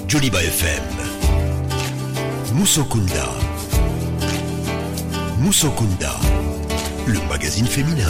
Joliba FM. Musokunda. Musokunda, le magazine féminin.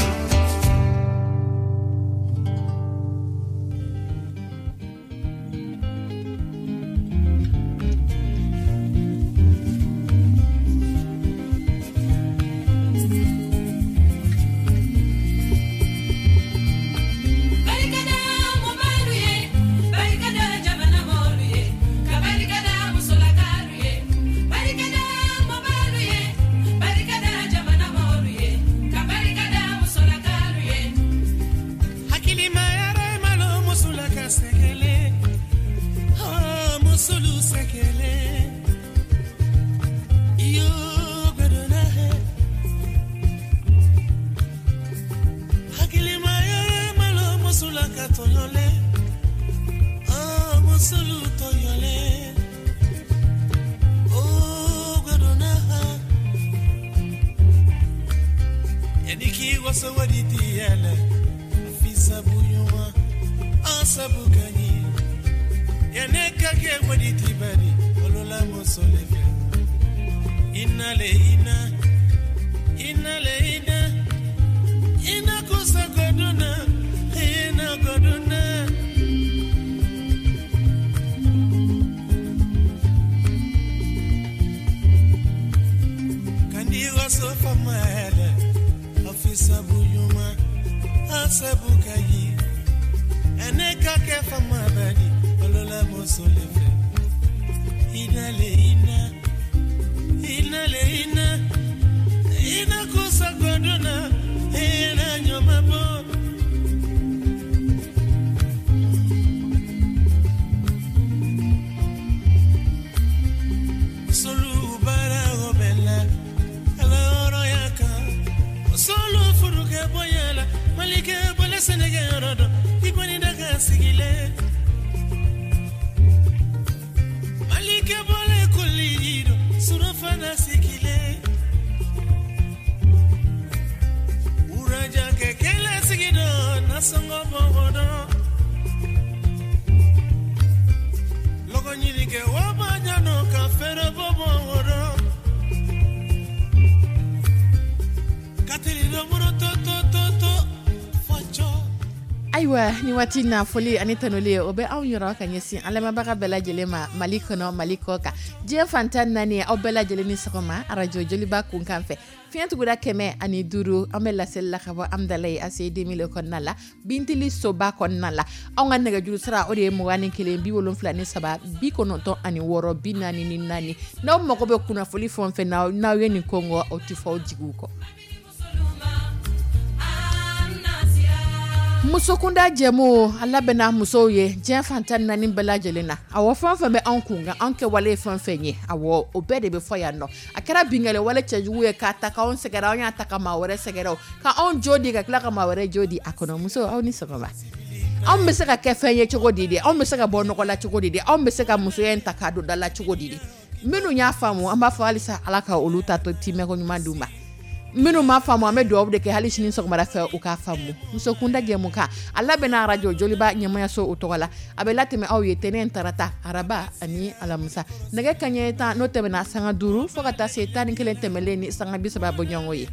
Ayiwa, ni waati na, foli ani tanuli, o bɛ anw yɔrɔ ka ɲɛsin an lamɛnbaga bɛɛ lajɛlen ma, Mali kɔnɔ, Mali kɔ kan, diɲɛ fan 14. Aw bɛɛ lajɛlen ni sɔgɔma arajo Joliba kunkan fɛ, fiɲɛ tuguda 105. An bɛ laseli la ka bɔ Amidalayi ACI 2000 kɔnɔna la, Bintili soba kɔnɔna la. Anw ka nɛgɛjuru sira, o de ye 21 73 96 44. N'aw mago bɛ kunnafoli fɛn o fɛn na, n'aw ye nin ko aw tɛ fɔ aw jigiw kɔ. Musokunda jɛmu, a labɛnna musow ye diɲɛ fan 14 bɛɛ lajɛlen na. Awɔ, fɛn o fɛn bɛ anw kun kan, anw kɛwale ye fɛn fɛn ye, awɔ, o bɛɛ de bɛ fɔ yan nɔ. A kɛra binkanni wale cɛjugu ye k'a ta k'anw sɛgɛrɛ, anw y'a ta ka maa wɛrɛ sɛgɛrɛ, o ka anw jo di ka tila ka maa wɛrɛ jo di a kɔnɔ. Muso, aw ni sɔgɔma. Anw bɛ se ka kɛ fɛn ye cogo di de? Anw bɛ se ka bɔ nɔgɔ la cogo di de? Anw bɛ se ka musoya in ta k'a don da la cogo di de? Minnu y'a faamu, an b'a fɔ halisa Ala ka olu ta to timɛko ɲuman d'u ma. Minnu m'a faamu, an bɛ dugawu de kɛ hali sini sɔgɔmada fɛ, u k'a faamu. Musokunda jɛmu kan, a labɛnna arajo Joliba ɲɛmayaso o tɔgɔ la. A bɛ latɛmɛ aw ye tɛnɛn, tarata, araba ani alamisa, nɛgɛ kaɲɛ 10 n'o tɛmɛna sanga 5 fo ka taa se 11 tɛmɛlen ni sanga 30 bɔɲɔgɔnko ye.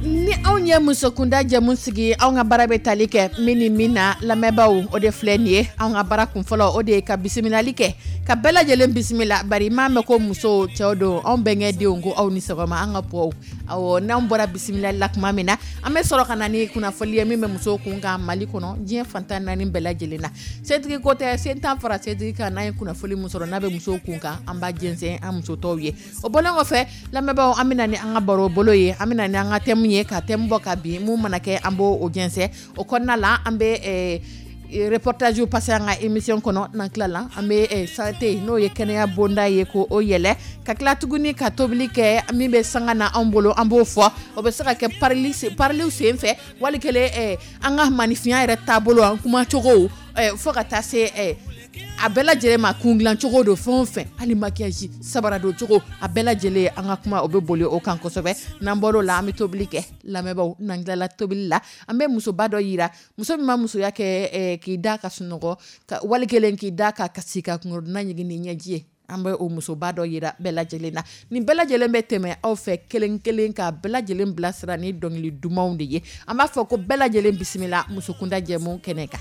Ni anw ye musokunda jɛmu sigi, anw ka baara bɛ tali kɛ min ni min na, lamɛnbaaw, o de filɛ nin ye. Anw ka baara kunfɔlɔ, o de ye ka bisimilali kɛ, ka bɛɛ lajɛlen bisimila, bari m'a mɛn ko muso, cɛw don, anw bɛnkɛ denw ko aw ni sɔgɔma, an ka pɔw. Awɔ, n'anw bɔra bisimilali la tuma min na, an bɛ sɔrɔ ka na ni kunnafoli ye min bɛ musow kun kan Mali kɔnɔ, diɲɛ fan 14 bɛɛ lajɛlen na. Setigi ko tɛ, sen tan fara setigi kan. N'an ye kunnafoli min sɔrɔ n'a bɛ musow kun kan, an b'a jɛnsɛn an muso tɔw ye. O bɔlen kɔfɛ, lamɛnbaaw, an bɛ na ni an ka baro bolo ye, an bɛ na ni an ka thème ye, ka thème bɔ ka bin. Mun mana kɛ, an b'o o jɛnsɛn. O kɔnɔna la, an bɛ reportage passer an ka émission kɔnɔ. N'an tilala, an bɛ santé, n'o ye kɛnɛya bonda ye, ko o yɛlɛ, ka tila tuguni ka tobili kɛ. Min bɛ sanga na anw bolo, an b'o fɔ. O bɛ se ka kɛ pariliw sen fɛ, wali kelen an ka maninfinya yɛrɛ taabolo, an kumacogo, fo ka taa se A bɛɛ lajɛlen ma, kun dilancogo don, fɛn o fɛn, hali maquillage, sabara don cogo, a bɛɛ lajɛlen, an ka kuma o bɛ boli o kan kosɛbɛ. N'an bɔr'o la, an bɛ tobili kɛ. Lamɛnbaaw, n'an tilala tobili la, an bɛ musoba dɔ yira, muso min ma musoya kɛ k'i da ka sunɔgɔ, wali kelen k'i da ka kasi ka kunkɔrɔdonna ɲigin ni ɲɛji ye. An bɛ o musoba dɔ yira bɛɛ lajɛlen na. Nin bɛɛ lajɛlen bɛ tɛmɛ aw fɛ kelen kelen ka bɛɛ lajɛlen bilasira ni dɔnkili dumanw de ye. An b'a fɔ ko bɛɛ lajɛlen bisimila musokunda jɛmu kɛnɛ kan.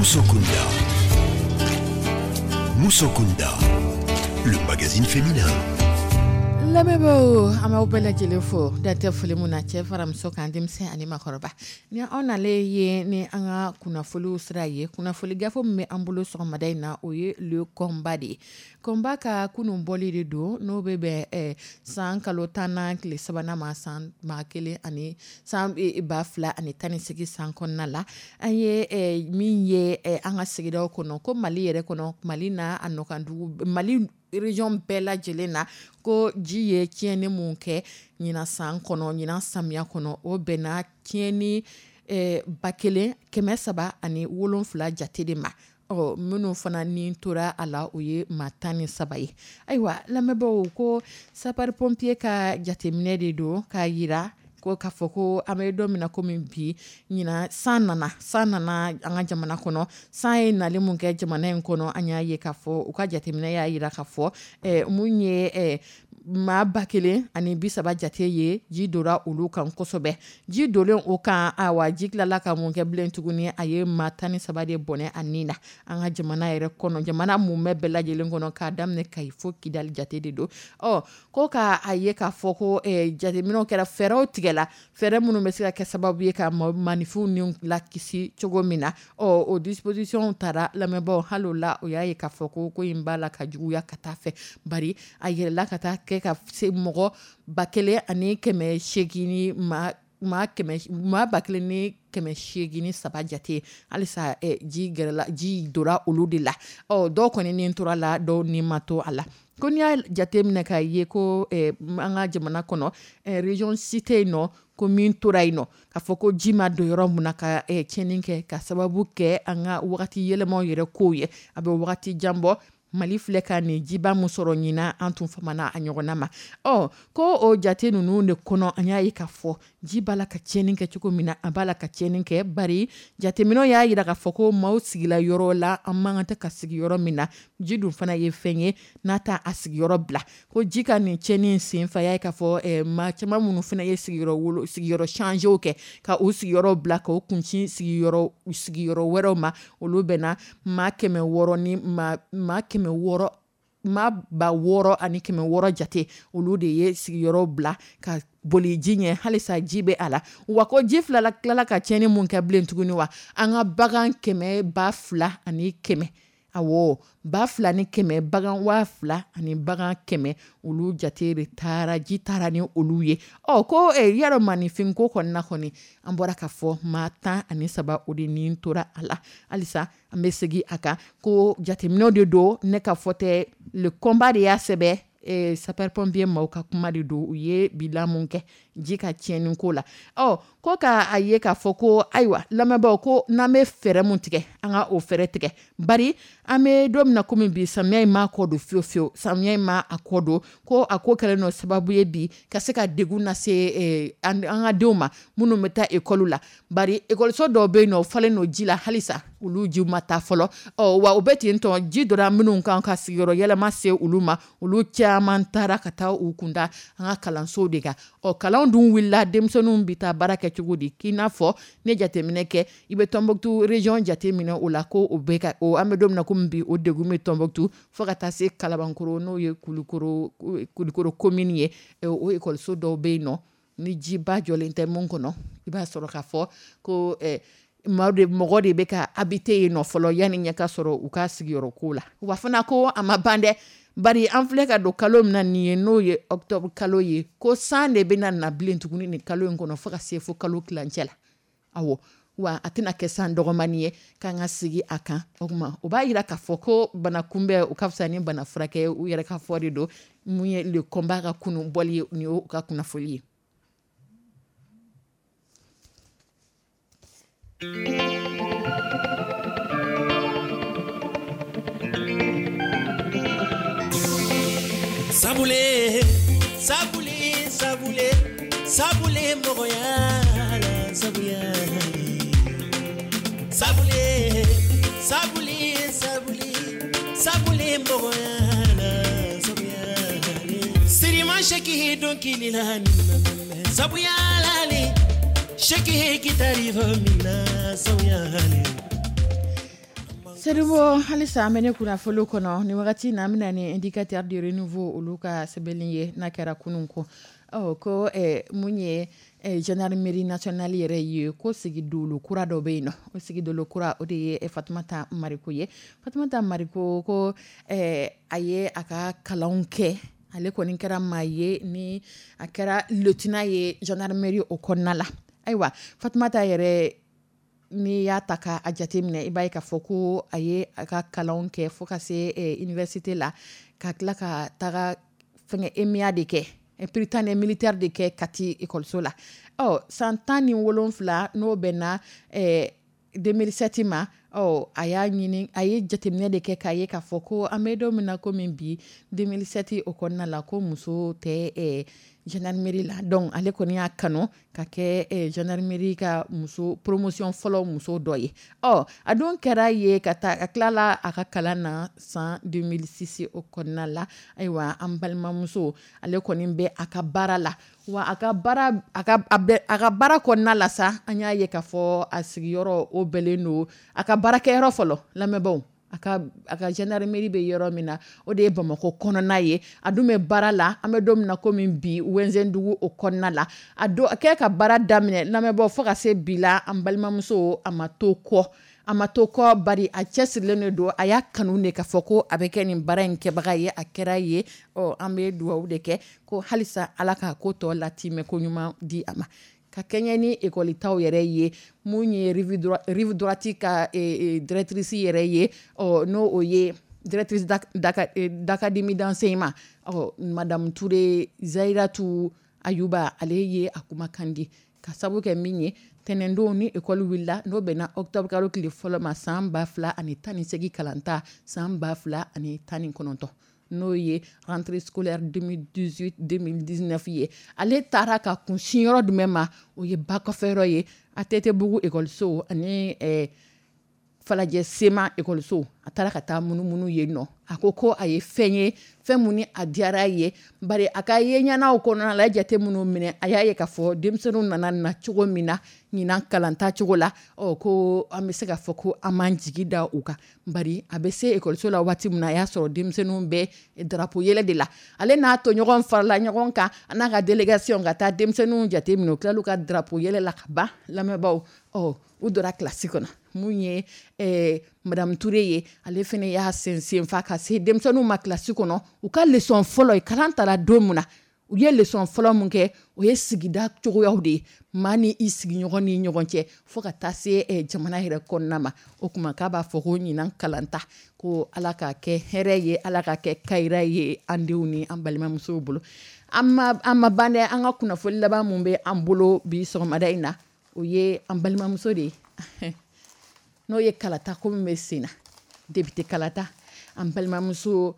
Musokunda. Musokunda, le magazine féminin. Lamɛnbaaw, an b'aw bɛɛ lajɛlen fo, dan tɛ foli min na, cɛ fara muso kan, denmisɛn ani maakɔrɔba. Ni anw nalen ye ni an ka kunnafoniw sira ye, kunnafoni gafe min bɛ an bolo sɔgɔmada in na, o ye le combat de ye. Combat ka kunun bɔli de don, n'o bɛ bɛn san kalo 10nan tile 3nan ma, san 1000 ani san 2018 san kɔnɔna la. An ye min ye an ka sigidaw kɔnɔ, ko Mali yɛrɛ kɔnɔ, Mali n'a a nɔkandugu, Mali région bɛɛ lajɛlen na, ko ji ye tiɲɛni mun kɛ ɲinan san kɔnɔ, ɲinan samiya kɔnɔ, o bɛnna tiɲɛni 1370 jate de ma. Ɔ, minnu fana ni tora a la, o ye maa 13 ye. Ayiwa lamɛnbaaw, ko sapeur pompier ka jateminɛ de don k'a jira ko k'a fɔ ko an bɛ don min na komi bi, ɲinan san nana, san nana an ka jamana kɔnɔ. San ye nali mun kɛ jamana in kɔnɔ, an y'a ye k'a fɔ u ka jateminɛ y'a jira k'a fɔ mun ye maa 1030 jate ye, ji donna olu kan kosɛbɛ. Ji donnen o kan, awa ji tilala ka mun kɛ bilen tuguni? A ye maa 13 de bɔnɛ a ni na an ka jamana yɛrɛ kɔnɔ, jamana mumɛ bɛɛ lajɛlen kɔnɔ, k'a daminɛ Kayi fo Kidali jate de don. Ɔ, ko k'a ye k'a fɔ ko jateminɛw kɛra, fɛɛrɛw tigɛla, fɛɛrɛ minnu bɛ se ka kɛ sababu ye ka maaninfinw ni lakisi cogo min na. Ɔ, o disposition taara lamɛnbaaw, hali o la o y'a ye k'a fɔ ko in b'a la ka juguya ka taa fɛ, bari a yɛlɛla ka taa kɛ ka se mɔgɔ 1800 ni maa maa 1803 jate. Halisa ji gɛrɛla, ji donna olu de la. Ɔ, dɔw kɔni ni tora la, dɔw ni ma to a la. Ko n'i y'a jate minɛ k'a ye ko an ka jamana kɔnɔ, région si tɛ yen nɔ ko min tora yen nɔ k'a fɔ ko ji ma don yɔrɔ min na ka tiɲɛni kɛ, ka sababu kɛ an ka wagati yɛlɛmaw yɛrɛ kow ye. A bɛ wagati jan bɔ, Mali filɛ ka nin jiba min sɔrɔ ɲinan, an tun famana a ɲɔgɔnna ma. Ɔ, ko o jate ninnu de kɔnɔ, an y'a ye k'a fɔ ji b'a la ka tiɲɛni kɛ cogo min na, a b'a la ka tiɲɛni kɛ, bari jateminɛw y'a jira k'a fɔ ko maaw sigila yɔrɔ la, an man kan tɛ ka sigi yɔrɔ min na. Ji dun fana ye fɛn ye n'a t'a a sigiyɔrɔ bila. Ko ji ka nin tiɲɛni senfɛ, a y'a ye k'a fɔ maa caman minnu fana ye sigiyɔrɔ sigiyɔrɔ changer kɛ, ka u sigiyɔrɔ bila k'o kunsin sigiyɔrɔ wɛrɛw ma, olu bɛnna maa 600 ni maa 600, maa 6600 jate, olu de ye sigiyɔrɔ bila ka boli ji ɲɛ. Halisa ji bɛ a la. Wa ko ji filala tilala ka tiɲɛni mun kɛ bilen tuguni, wa an ka bagan kɛmɛ 2100, awɔ, 2100 bagan, 2000 ani bagan 100, olu jate de taara, ji taara ni olu ye. Ɔ, ko yarɔ maaninfin ko kɔni na kɔni, an bɔra k'a fɔ maa 13 o de ni tora a la. Halisa an bɛ segin a kan ko jateminɛw de don, ne ka fɔ tɛ, Le Combat de y'a sɛbɛn, sapeur pompier maaw ka kuma de don. U ye bilan mun kɛ ji ka tiɲɛni ko la. Ɔ, ko k'a ye k'a fɔ ko ayiwa lamɛnbaaw, ko n'an bɛ fɛɛrɛ mun tigɛ, an ka o fɛɛrɛ tigɛ, bari an bɛ don min na komi bi, samiya in m'a kɔ don fiyewu fiyewu, samiya in ma a kɔ don. Ko a ko kɛlen don sababu ye bi ka se ka degun lase an ka denw ma minnu bɛ taa ekɔli la, bari ekɔliso dɔw bɛ yen nɔ, o falen don ji la halisa, olu jiw ma taa fɔlɔ. Ɔ, wa u bɛ ten tɔ, ji donna minnu kan ka sigiyɔrɔ yɛlɛma se olu ma, olu caman taara ka taa u kunda an ka kalansow de kan. Ɔ, kalan dun wulila, denmisɛnninw bɛ taa baara kɛ cogo di? K'i n'a fɔ ne jateminɛ kɛ, i bɛ Tɔnbɔkutu région jateminɛ o la, ko o bɛ ka o, an bɛ don min na komi bi, o degun bɛ Tɔnbɔkutu fo ka taa se Kalabankɔrɔ, n'o ye Kulukɔrɔ commune ye. O ekɔliso dɔw bɛ yen nɔ, ni jiba jɔlen tɛ mun kɔnɔ, i b'a sɔrɔ k'a fɔ ko mɔgɔ de bɛ ka habiter yen nɔ fɔlɔ yanni ɲɛ ka sɔrɔ u ka sigiyɔrɔ ko la. Wa fana ko a ma ban dɛ, bari an filɛ ka don kalo min na nin ye, n'o ye octobre kalo ye, ko san de bɛna na bilen tuguni nin kalo in kɔnɔ fo ka se fo kalo tilancɛ la. Awɔ, wa a tɛna kɛ san dɔgɔmani ye k'an ka sigi a kan. O tuma o b'a jira k'a fɔ ko bana kunbɛn o ka fisa ni bana furakɛ, u yɛrɛ ka fɔ de don. Mun ye Le Combat ka kunun bɔli ye, nin y'o ka kunnafoli ye. Sabule sabule sabule sabule mɔgɔya la sabuya sabule sabule sabule sabule mɔgɔya la sabuya sirima seki dɔnkili la sabuya la seki gitari fɔ min na sabuya. Seribu, halisa an bɛ ne kunnafoni kɔnɔ ni wagati na, an bɛna ni Indicateur du Renouveau olu ka sɛbɛnni ye n'a kɛra kunun ko. Ɔ, ko mun ye gendarmerie nationale yɛrɛ ye, ko sigidolo kura dɔ bɛ yen nɔ. O sigidolo kura, o de ye Fatumata Mariko ye. Fatumata Mariko, ko a ye a ka kalanw kɛ, ale kɔni kɛra maa ye ni a kɛra lieutenant ye gendarmerie o kɔnɔna la. Ayiwa Fatumata yɛrɛ, n'i y'a ta k'a jateminɛ, i b'a ye k'a fɔ ko a ye a ka kalanw kɛ fo ka se université la, ka tila ka taga fɛngɛ EMIA de kɛ. Prytanée militaire de kɛ Kati ekɔliso la. Ɔ san 17, n'o bɛnna 2007 ma, ɔ a y'a ɲini, a ye jateminɛ de kɛ k'a ye k'a fɔ ko an bɛ don min na komi bi, 2007 o kɔnɔna la, ko muso tɛ gendarmerie la. Donc ale kɔni y'a kanu ka kɛ gendarmerie ka muso promotion fɔlɔ muso dɔ ye. Ɔ a dun kɛra ye ka taa a tilala a ka kalan na san 2006 o kɔnɔna la. Ayiwa, an balimamuso, ale kɔni bɛ a ka baara la, wa a ka baara a ka a bɛ a ka baara kɔnɔna la sa, an y'a ye k'a fɔ a sigiyɔrɔ o bɛlen don a ka baarakɛyɔrɔ fɔlɔ. Lamɛnbaaw, a ka gendarmerie bɛ yɔrɔ min na, o de ye Bamakɔ kɔnɔna ye. A dun bɛ baara la, an bɛ don min na komi bi, Wɛnzɛndugu o kɔnɔna la. A don a kɛ ka baara daminɛ, lamɛnbaaw, fo ka se bi la, an balimamuso, a ma to kɔ, a ma to kɔ, bari a cɛsirilen de don. A y'a kanu de k'a fɔ ko a bɛ kɛ nin baara in kɛbaga ye. A kɛra ye. Ɔ an bɛ dugawu de kɛ ko halisa Ala k'a ko tɔ latimɛ ko ɲuman di a ma, ka kɛɲɛ ni ekɔlitaw yɛrɛ ye. Mun ye rive droite ka directrice yɛrɛ ye, ɔ n'o o ye directrice d'académie d'enseignement, ɔ madame Touré Zahiratu Ayuba, ale ye a kumakan di ka sabu kɛ min ye tɛnɛndon ni ekɔli wulila, n'o bɛnna octobre kalo tile fɔlɔ ma, san 2018 kalanta, san 2019, n'o ye rentrée scolaire 2018-2019 ye. Ale taara ka kunsin yɔrɔ jumɛn ma? O ye ba kɔfɛ yɔrɔ ye, ATT-bugu ekɔliso ani Falajɛ Sema ekɔliso. A taara ka taa munumunu yen nɔ. A ko ko a ye fɛn ye, fɛn mun ni a diyara ye, bari a ka ye ɲɛnaw kɔnɔna la, a ye jate minnu minɛ, a y'a ye k'a fɔ denmisɛnninw nana na cogo min na ɲinan kalanta cogo la, ɔ ko an bɛ se k'a fɔ ko an m'an jigi da u kan, bari a bɛ se ekɔliso la waati min na, a y'a sɔrɔ denmisɛnninw bɛ drapeau yɛlɛ de la. Ale n'a tɔɲɔgɔn farala ɲɔgɔn kan, a n'a ka délégation, ka taa denmisɛnninw jate minɛ. U tilal'u ka drapeau yɛlɛ la ka ban, lamɛnbaaw, ɔ u donna kilasi kɔnɔ. Mun ye madame Touré ye, ale fana y'a sen senfa ka se denmisɛnninw ma kilasi kɔnɔ. U ka leçon fɔlɔ ye, kalan tara don min na, u ye leçon fɔlɔ mun kɛ, o ye sigida cogoyaw de ye, maa ni i sigiɲɔgɔn ni ɲɔgɔn cɛ, fo ka taa se jamana yɛrɛ kɔnɔna ma. O tuma k'a b'a fɔ ko ɲinan kalanta, ko Ala k'a kɛ hɛrɛ ye, Ala k'a kɛ kayira ye an denw ni an balimamusow bolo. An ma ban dɛ. An ka kunnafoni laban mun bɛ an bolo bi sɔgɔmada in na, o ye an balimamuso de ye, n'o ye kalata ko min bɛ sen na, député kalata. An balimamuso,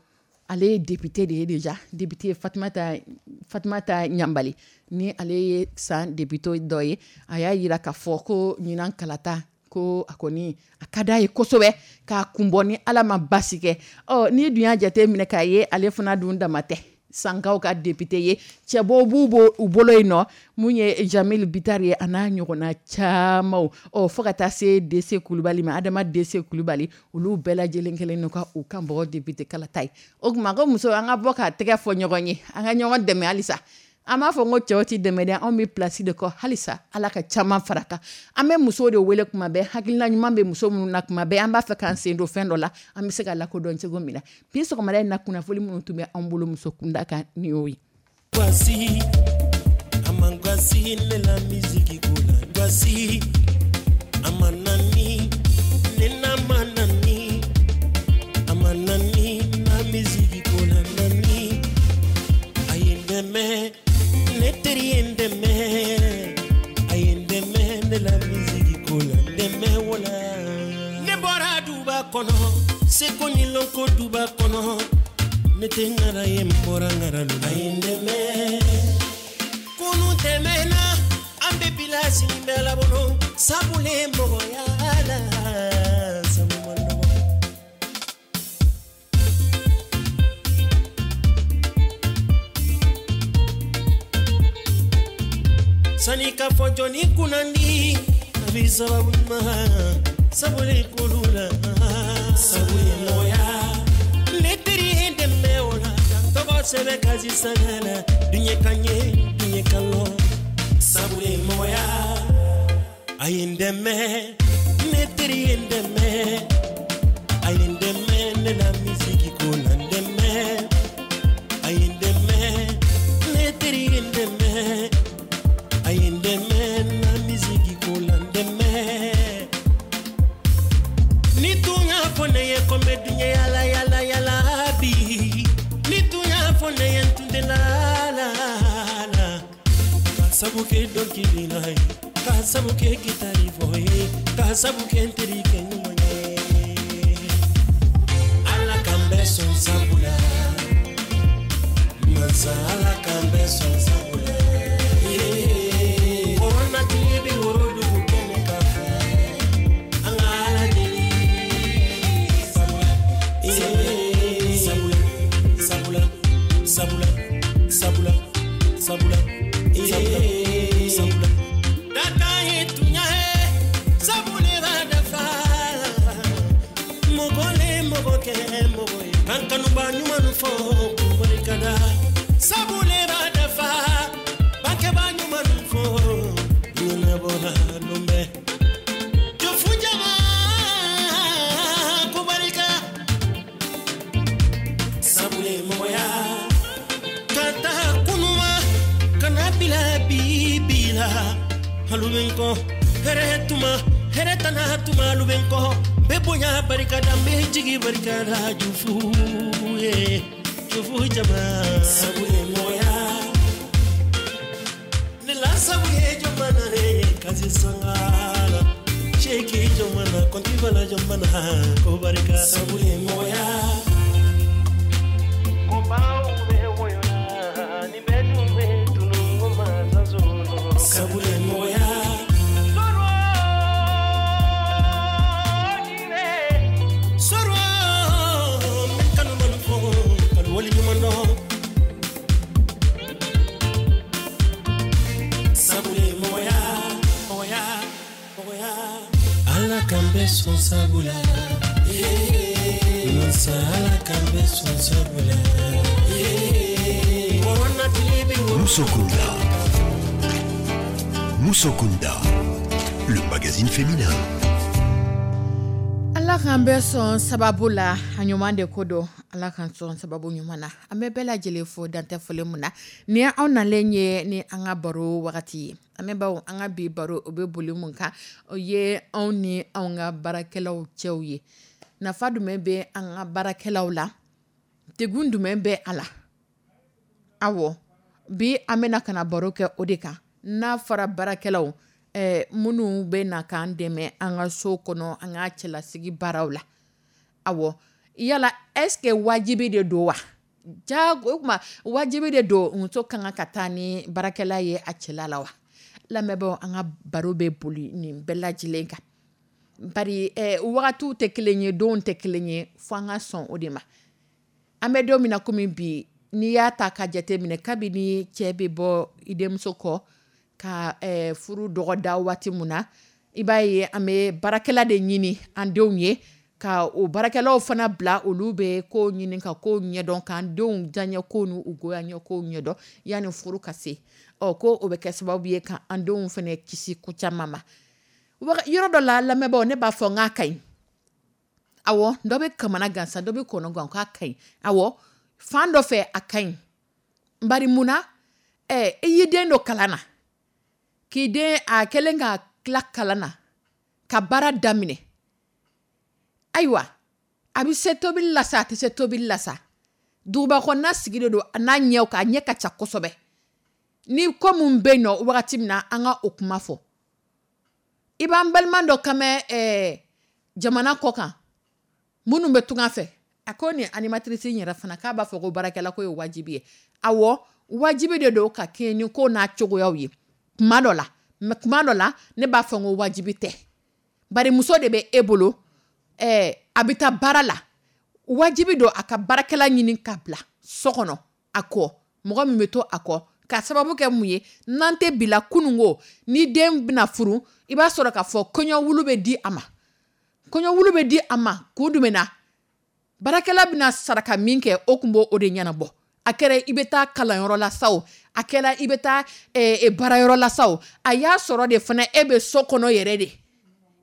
ale ye député de ye déjà, député Fatumata Ɲanbali, ni ale ye san député dɔ ye. A y'a yira k'a fɔ ko ɲinan kalata, ko a kɔni a ka d'a ye kosɛbɛ k'a kunbɔ ni Ala ma basi kɛ. Ɔ n'i dun y'a jate minɛ k'a ye, ale fana dun dama tɛ sankaw ka député ye, cɛbɔw b'u u bolo yen nɔ, mun ye Jamil Bitari ye, a n'a ɲɔgɔnna camanw, ɔ fo ka taa se DC Kulubali ma, Adama DC Kulubali. Olu bɛɛ lajɛlen kɛlen don ka u kan bɔ député kalata ye. O tuma ko muso, an ka bɔ ka tɛgɛ fɔ ɲɔgɔn ye, an ka ɲɔgɔn dɛmɛ halisa. An b'a fɔ n ko cɛw ti dɛmɛ dɛ, anw bɛ place de kɔ. Halisa Ala ka caman fara kan. An bɛ musow de wele kuma bɛɛ, hakilina ɲuman bɛ muso minnu na. Kuma bɛɛ an b'a fɛ k'an sen don fɛn dɔ la, an bɛ se ka lakodɔn cogo min na. Bi sɔgɔmada in na, kunnafoni minnu tun bɛ an bolo muso kunda kan, nin y'o ye. Voici, amangwasi ne la musique kola Voici, amanani, nena manani, amanani na musique kola nani. Aye dɛmɛ, ne teri ye n dɛmɛ, a ye n dɛmɛ ne la musique kola dɛmɛ wala. Ne bɔra duba kɔnɔ, seko ni lɔnko duba kɔnɔ, ne tɛ ŋara ye, n bɔra ŋara lo. A ye n dɛmɛ, kunu tɛmɛna, an bɛ bila sini bɛɛ la bolo, sabulen mɔgɔya la, sabu man nɔgɔ. Sani ka fɔ jɔnni kunnandi, a bi sababu ɲuman sabuli kolu la, sabu ye mɔgɔya. Ne teri ye n dɛmɛ o la, ka n tɔgɔ sɛbɛn kasi sanga la, diɲɛ ka ɲɛ, diɲɛ ka lɔ, sabu ye mɔgɔya. A ye n dɛmɛ, ne teri ye n dɛmɛ, a ye n dɛmɛ ne la misiki ko la n dɛmɛ. A ye n dɛmɛ, ne teri ye n dɛmɛ, a ye n dɛmɛ na misiki ko la n dɛmɛ. Ni tun y'a fɔ ne ye ko n bɛ diɲɛ yala yala yala bi, ni tun y'a fɔ ne ye, n tun tɛ la la. Sabu kɛ dɔnkili la ye, ka sabu kɛ gitari fɔ ye, ka sabu kɛ n terikɛ ɲuman ye. Ala k'an bɛɛ sɔn sabu la, Masa Ala k'an bɛɛ sɔn sabu la. Corona tile bɛ woro dugu kɛnɛ kan fɛ, an ka Ala deli sabula, sabula, sabula, sabula, sabula, sabula, sabula, sabula. Daka ye tunya ye, sabu le b'a dafa. Mɔgɔ le mɔgɔ kɛ mɔgɔ ye, kan kanuba ɲuman fɔ k'u barikada. Sabu le b'a dafa, bangebaa ɲuman fɔ ɲɛnabɔra lon bɛɛ. Jofu jama ko barika. Sabu le mɔgɔya ka taa kunuma ka na bila bi bi la. Alu bɛ n kɔ hɛrɛ tuma, hɛrɛ tana tuma, alu bɛ n kɔ. N bɛ bonya barikada, n bɛ jigi barikada, Jufu ye, Jufu jama. Sabu le mɔgɔya ne la, sabu ye jɔnmana ye kasi sangala seki jɔnmana kɔnti bala jɔnmana ko barika. Sabu le mɔgɔya ko baw bɛ wɔyɔ la ni bɛɛ dun bɛ tunu ko mansa sɔrɔ. Sabu le mɔgɔya sɔrɔ sɔrɔ n bɛ kanu manu fɔ kanu wali ɲuman dɔn. Sabu le mɔgɔya mɔgɔya mɔgɔya. Ala k'an bɛɛ sɔn sabu la, Masa Ala k'an bɛɛ sɔn sabu la. Corona tile bɛ woro Musokunda. Musokunda, le magazine féminin. Ala k'an bɛɛ sɔn sababu la, a ɲuman de ko don. Ala k'an sɔn sababu ɲuman na. An bɛ bɛɛ lajɛlen fo dantɛ foli mun na ni anw nalen ye ni an ka baro wagati ye. An bɛ baw an ka bi baro o bɛ boli mun kan, o ye anw ni anw ka baarakɛlaw cɛw ye. Nafa jumɛn bɛ an ka baarakɛlaw la, degun jumɛn bɛ a la? Awɔ, bi an bɛna ka na baro kɛ o de kan. N'a fɔra baarakɛlaw, minnu bɛ na k'an dɛmɛ an ka so kɔnɔ, an ka cɛlasigi baaraw la. Awɔ, yala est-ce que wajibi de don wa? Jago o kuma wajibi de don muso ka kan ka taa ni baarakɛla ye a cɛla la wa? Lamɛnbaaw, an ka baro bɛ boli nin bɛɛ lajɛlen kan. Bari wagatiw tɛ kelen ye, donw tɛ kelen ye, fo an ka sɔn o de ma. An bɛ don min na komi bi, n'i y'a ta ka jate minɛ, kabini cɛ bɛ bɔ i denmuso kɔ ka furu dɔgɔda waati min na, i b'a ye an bɛ baarakɛla de ɲini an denw ye, ka o baarakɛlaw fana bila olu bɛ ko ɲini ka ko ɲɛdɔn, k'an denw diyaɲɛ ko n'u goyaɲɛ ko ɲɛdɔn yanni furu ka se. Ɔ ko o bɛ kɛ sababu ye ka an denw fana kisi ko caman ma. Yɔrɔ dɔ la, lamɛnbaaw, ne b'a fɔ n k'a ka ɲi. Awɔ, dɔ bɛ kamana gan sa, dɔ bɛ kɔnɔ gan k'a ka ɲi. Awɔ, fan dɔ fɛ a ka ɲi. Bari mun na? I y'i den don kalan na, k'i den a kɛlen ka tila kalan na, ka baara daminɛ. Ayiwa, a bɛ se tobili la sa, a tɛ se tobili la sa. Duguba kɔnɔna sigi de don a n'a ɲɛw kan, a ɲɛ ka ca kosɛbɛ. Ni ko mun bɛ yen nɔ wagati min na, an ka o kuma fɔ. I b'an balima dɔ kan mɛn jamana kɔ kan, minnu bɛ tunga fɛ, a ko nin animatrice in yɛrɛ fana k'a b'a fɔ ko baarakɛla ko ye wajibi ye. Awɔ, wajibi de don ka kɛɲɛ ni ko n'a cogoyaw ye kuma dɔ la, mais kuma dɔ la ne b'a fɔ n ko wajibi tɛ. Bari muso de bɛ e bolo, a bɛ taa baara la, wajibi don a ka baarakɛla ɲini ka bila so kɔnɔ a kɔ, mɔgɔ min bɛ to a kɔ, ka sababu kɛ mun ye? N'an tɛ bila kununko, ni den bɛna furu, i b'a sɔrɔ k'a fɔ kɔɲɔwulu bɛ di a ma. Kɔɲɔwulu bɛ di a ma kun jumɛn na? Baarakɛla bɛna saraka min kɛ, o tun b'o de ɲɛnabɔ. A kɛra i bɛ taa kalanyɔrɔ la sa o, a kɛra i bɛ taa baarayɔrɔ la sa o, a y'a sɔrɔ de fana e bɛ so kɔnɔ yɛrɛ de,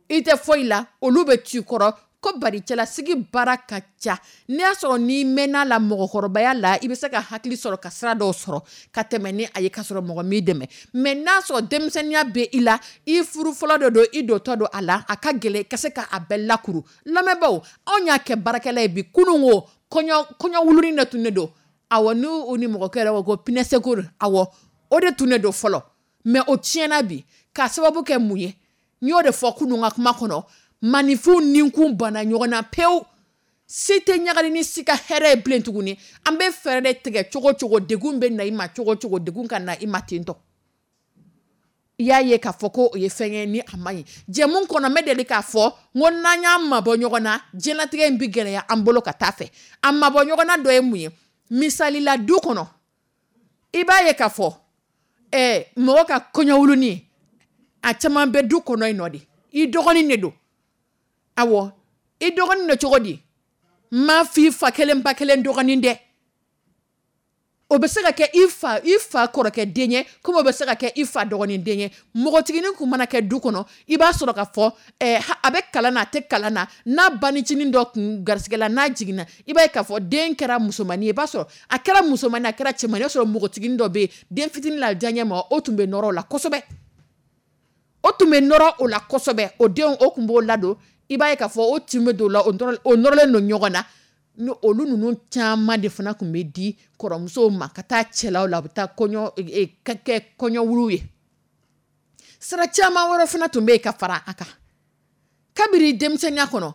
i tɛ foyi la, olu bɛ t'i kɔrɔ. Ko bari cɛlasigi baara ka ca. N'i y'a sɔrɔ n'i mɛnna la mɔgɔkɔrɔbaya la, i bɛ se ka hakili sɔrɔ ka sira dɔw sɔrɔ ka tɛmɛ ni a ye ka sɔrɔ mɔgɔ m'i dɛmɛ. Mais n'a sɔrɔ denmisɛnninya bɛ i la, i furu fɔlɔ de don, i dontɔ don a la, a ka gɛlɛn i ka se ka a bɛɛ lakuru. Lamɛnbaaw, anw y'a kɛ baarakɛla ye bi. Kunun ko kɔɲɔ wulunin de tun de don. Awɔ, n'u ni mɔgɔkɛ yɛrɛ ko ko pinɛ secours, awɔ, o de tun de don fɔlɔ. Mais o tiɲɛna bi k'a sababu kɛ mun ye? N y'o de fɔ kunun ka kuma kɔnɔ, maninfinw ninkun banna ɲɔgɔn na pewu. Si tɛ ɲagali ni si ka hɛrɛ ye bilen tuguni. An bɛ fɛɛrɛ de tigɛ cogo cogo, degun bɛ na i ma cogo cogo, degun ka na i ma ten tɔ. I y'a ye k'a fɔ ko o ye fɛn ye ni a man ɲi. Jɛmu kɔnɔ, n bɛ deli k'a fɔ n ko n'an y'an mabɔ ɲɔgɔn na, diɲɛlatigɛ in bɛ gɛlɛya an bolo ka taa fɛ. A mabɔ ɲɔgɔn na dɔ ye mun ye? Misali la, du kɔnɔ, i b'a ye k'a fɔ mɔgɔ ka kɔɲɔwulunin, a caman bɛ du kɔnɔ yen nɔ de. I dɔgɔnin de don. Awɔ, i dɔgɔnin don cogo di? N m'a f'i fa kelen ba kelen dɔgɔnin dɛ. O bɛ se ka kɛ i fa kɔrɔkɛ den ye, komi o bɛ se ka kɛ i fa dɔgɔnin den ye. Npogotiginin kun mana kɛ du kɔnɔ, i b'a sɔrɔ k'a fɔ a bɛ kalan na, a tɛ kalan na, n'a banicinin dɔ kun garisigɛ la, n'a jiginna, i b'a ye k'a fɔ den kɛra musomannin ye. I b'a sɔrɔ a kɛra musomannin, a kɛra cɛmannin ye, i b'a sɔrɔ npogotiginin dɔ bɛ yen, den fitinin la diyaɲɛ ma, o tun bɛ nɔrɔ o la kosɛbɛ. O tun bɛ nɔrɔ o la kosɛbɛ. O denw, o tun b'o ladon. I b'a ye k'a fɔ o tin bɛ don o la, o nɔrɔlen don ɲɔgɔn na. Ni olu ninnu caman de fana tun bɛ di kɔrɔmusow ma ka taa cɛlaw la, u bɛ taa kɔɲɔ kɛ kɔɲɔwulu ye. Sira caman wɛrɛ fana tun bɛ yen ka fara a kan. Kabini denmisɛnninya kɔnɔ,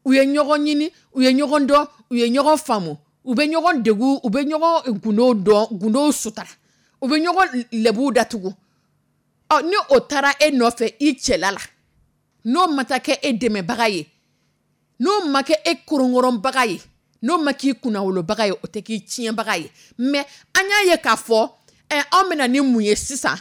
u ye ɲɔgɔn ɲini, u ye ɲɔgɔn dɔn, u ye ɲɔgɔn faamu, u bɛ ɲɔgɔn degun, u bɛ ɲɔgɔn gundow dɔn, gundow sutura, u bɛ ɲɔgɔn lɛbuw datugu. Ɔ, ni o taara e nɔfɛ i cɛla la, n'o ma taa kɛ e dɛmɛbaga ye, n'o ma kɛ e koronkɔrɔnbaga ye, n'o ma k'i kunnawolobaga ye, o tɛ k'i tiɲɛbaga ye. Mais an y'a ye k'a fɔ anw bɛna ni mun ye sisan?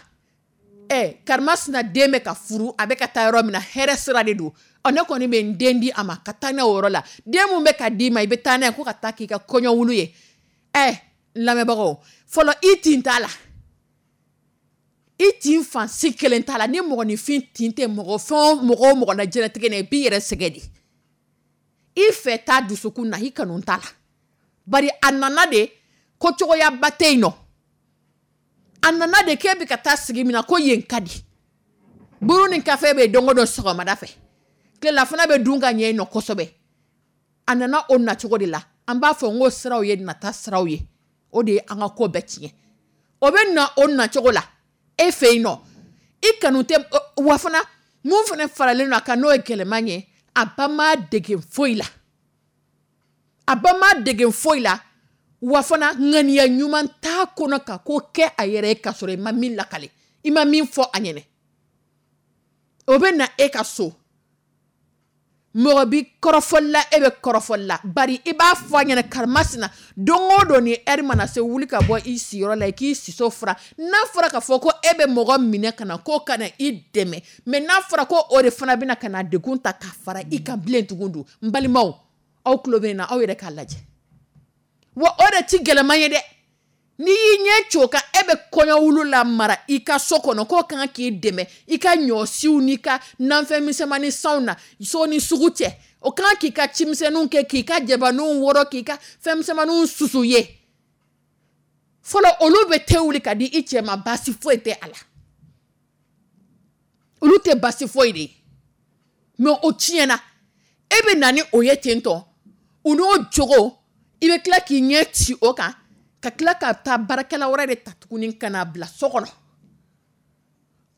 Karimasina den bɛ ka furu, a bɛ ka taa yɔrɔ min na, hɛrɛ sira de don. Ɔ, ne kɔni bɛ n den di a ma ka taa n'a o yɔrɔ la. Den mun bɛ ka d'i ma, i bɛ taa n'a ye ko ka taa k'i ka kɔɲɔwulu ye. Lamɛnbagaw, fɔlɔ, i tin t'a la, i tin fan si kelen t'a la. Ni mɔgɔninfin tin tɛ mɔgɔ fɛn o mɔgɔ o mɔgɔ la diɲɛlatigɛ na, i b'i yɛrɛ sɛgɛn de. I fɛ t'a dusukun na, i kanu t'a la. Bari a nana de ko cogoyaba tɛ yen nɔ. A nana de k'e bɛ ka taa sigi min na, ko yen ka di. Buru ni kafe bɛ yen don o don sɔgɔmada fɛ, tilelafana bɛ dun ka ɲɛ yen nɔ kosɛbɛ. A nana o nacogo de la. An b'a fɔ n ko siraw ye nata siraw ye, o de ye an ka ko bɛɛ tiɲɛ. O bɛ na o nacogo la e fɛ yen nɔ, i kanu tɛ. Wa fana, mun fana faralen don a kan, n'o ye gɛlɛman ye, a ba ma dege foyi la, a ba ma dege foyi la. Wa fana, ŋaniya ɲuman t'a kɔnɔ ka ko kɛ a yɛrɛ ye k'a sɔrɔ i ma min lakale, i ma min fɔ a ɲɛnɛ. O bɛ na e ka so, mɔgɔ bi kɔrɔfɔli la, e bɛ kɔrɔfɔli la. Bari i b'a fɔ a ɲɛna, karimasina, don o don ni ɛri mana se, wuli ka bɔ i siyɔrɔ la, i k'i siso fura. N'a fɔra k'a fɔ ko e bɛ mɔgɔ minɛ ka na k'o ka na i dɛmɛ, mais n'a fɔra ko o de fana bɛna ka na degun ta ka fara i kan bilen tugun dun? N balimaw, aw tulo bɛ n na, aw yɛrɛ k'a lajɛ. Wa o de ti gɛlɛman ye dɛ. N'i y'i ɲɛ co kan, e bɛ kɔɲɔwulu la mara i ka so kɔnɔ k'o kan k'i dɛmɛ i ka ɲɔsiw n'i ka nanfɛn misɛnmanin sanw na, so ni sugu cɛ, o kan k'i ka cimisɛnninw kɛ, k'i ka jabaninw wɔrɔ, k'i ka fɛn misɛnmaninw susu ye. Fɔlɔ, olu bɛ te wuli ka di i cɛ ma, baasi foyi tɛ a la. Olu tɛ baasi foyi de ye. Mais o tiɲɛna, e bɛ na ni o ye ten tɔ, u n'o jogo, i bɛ tila k'i ɲɛ ci o kan, ka tila ka taa baarakɛla wɛrɛ de ta tuguni ka n'a bila so kɔnɔ.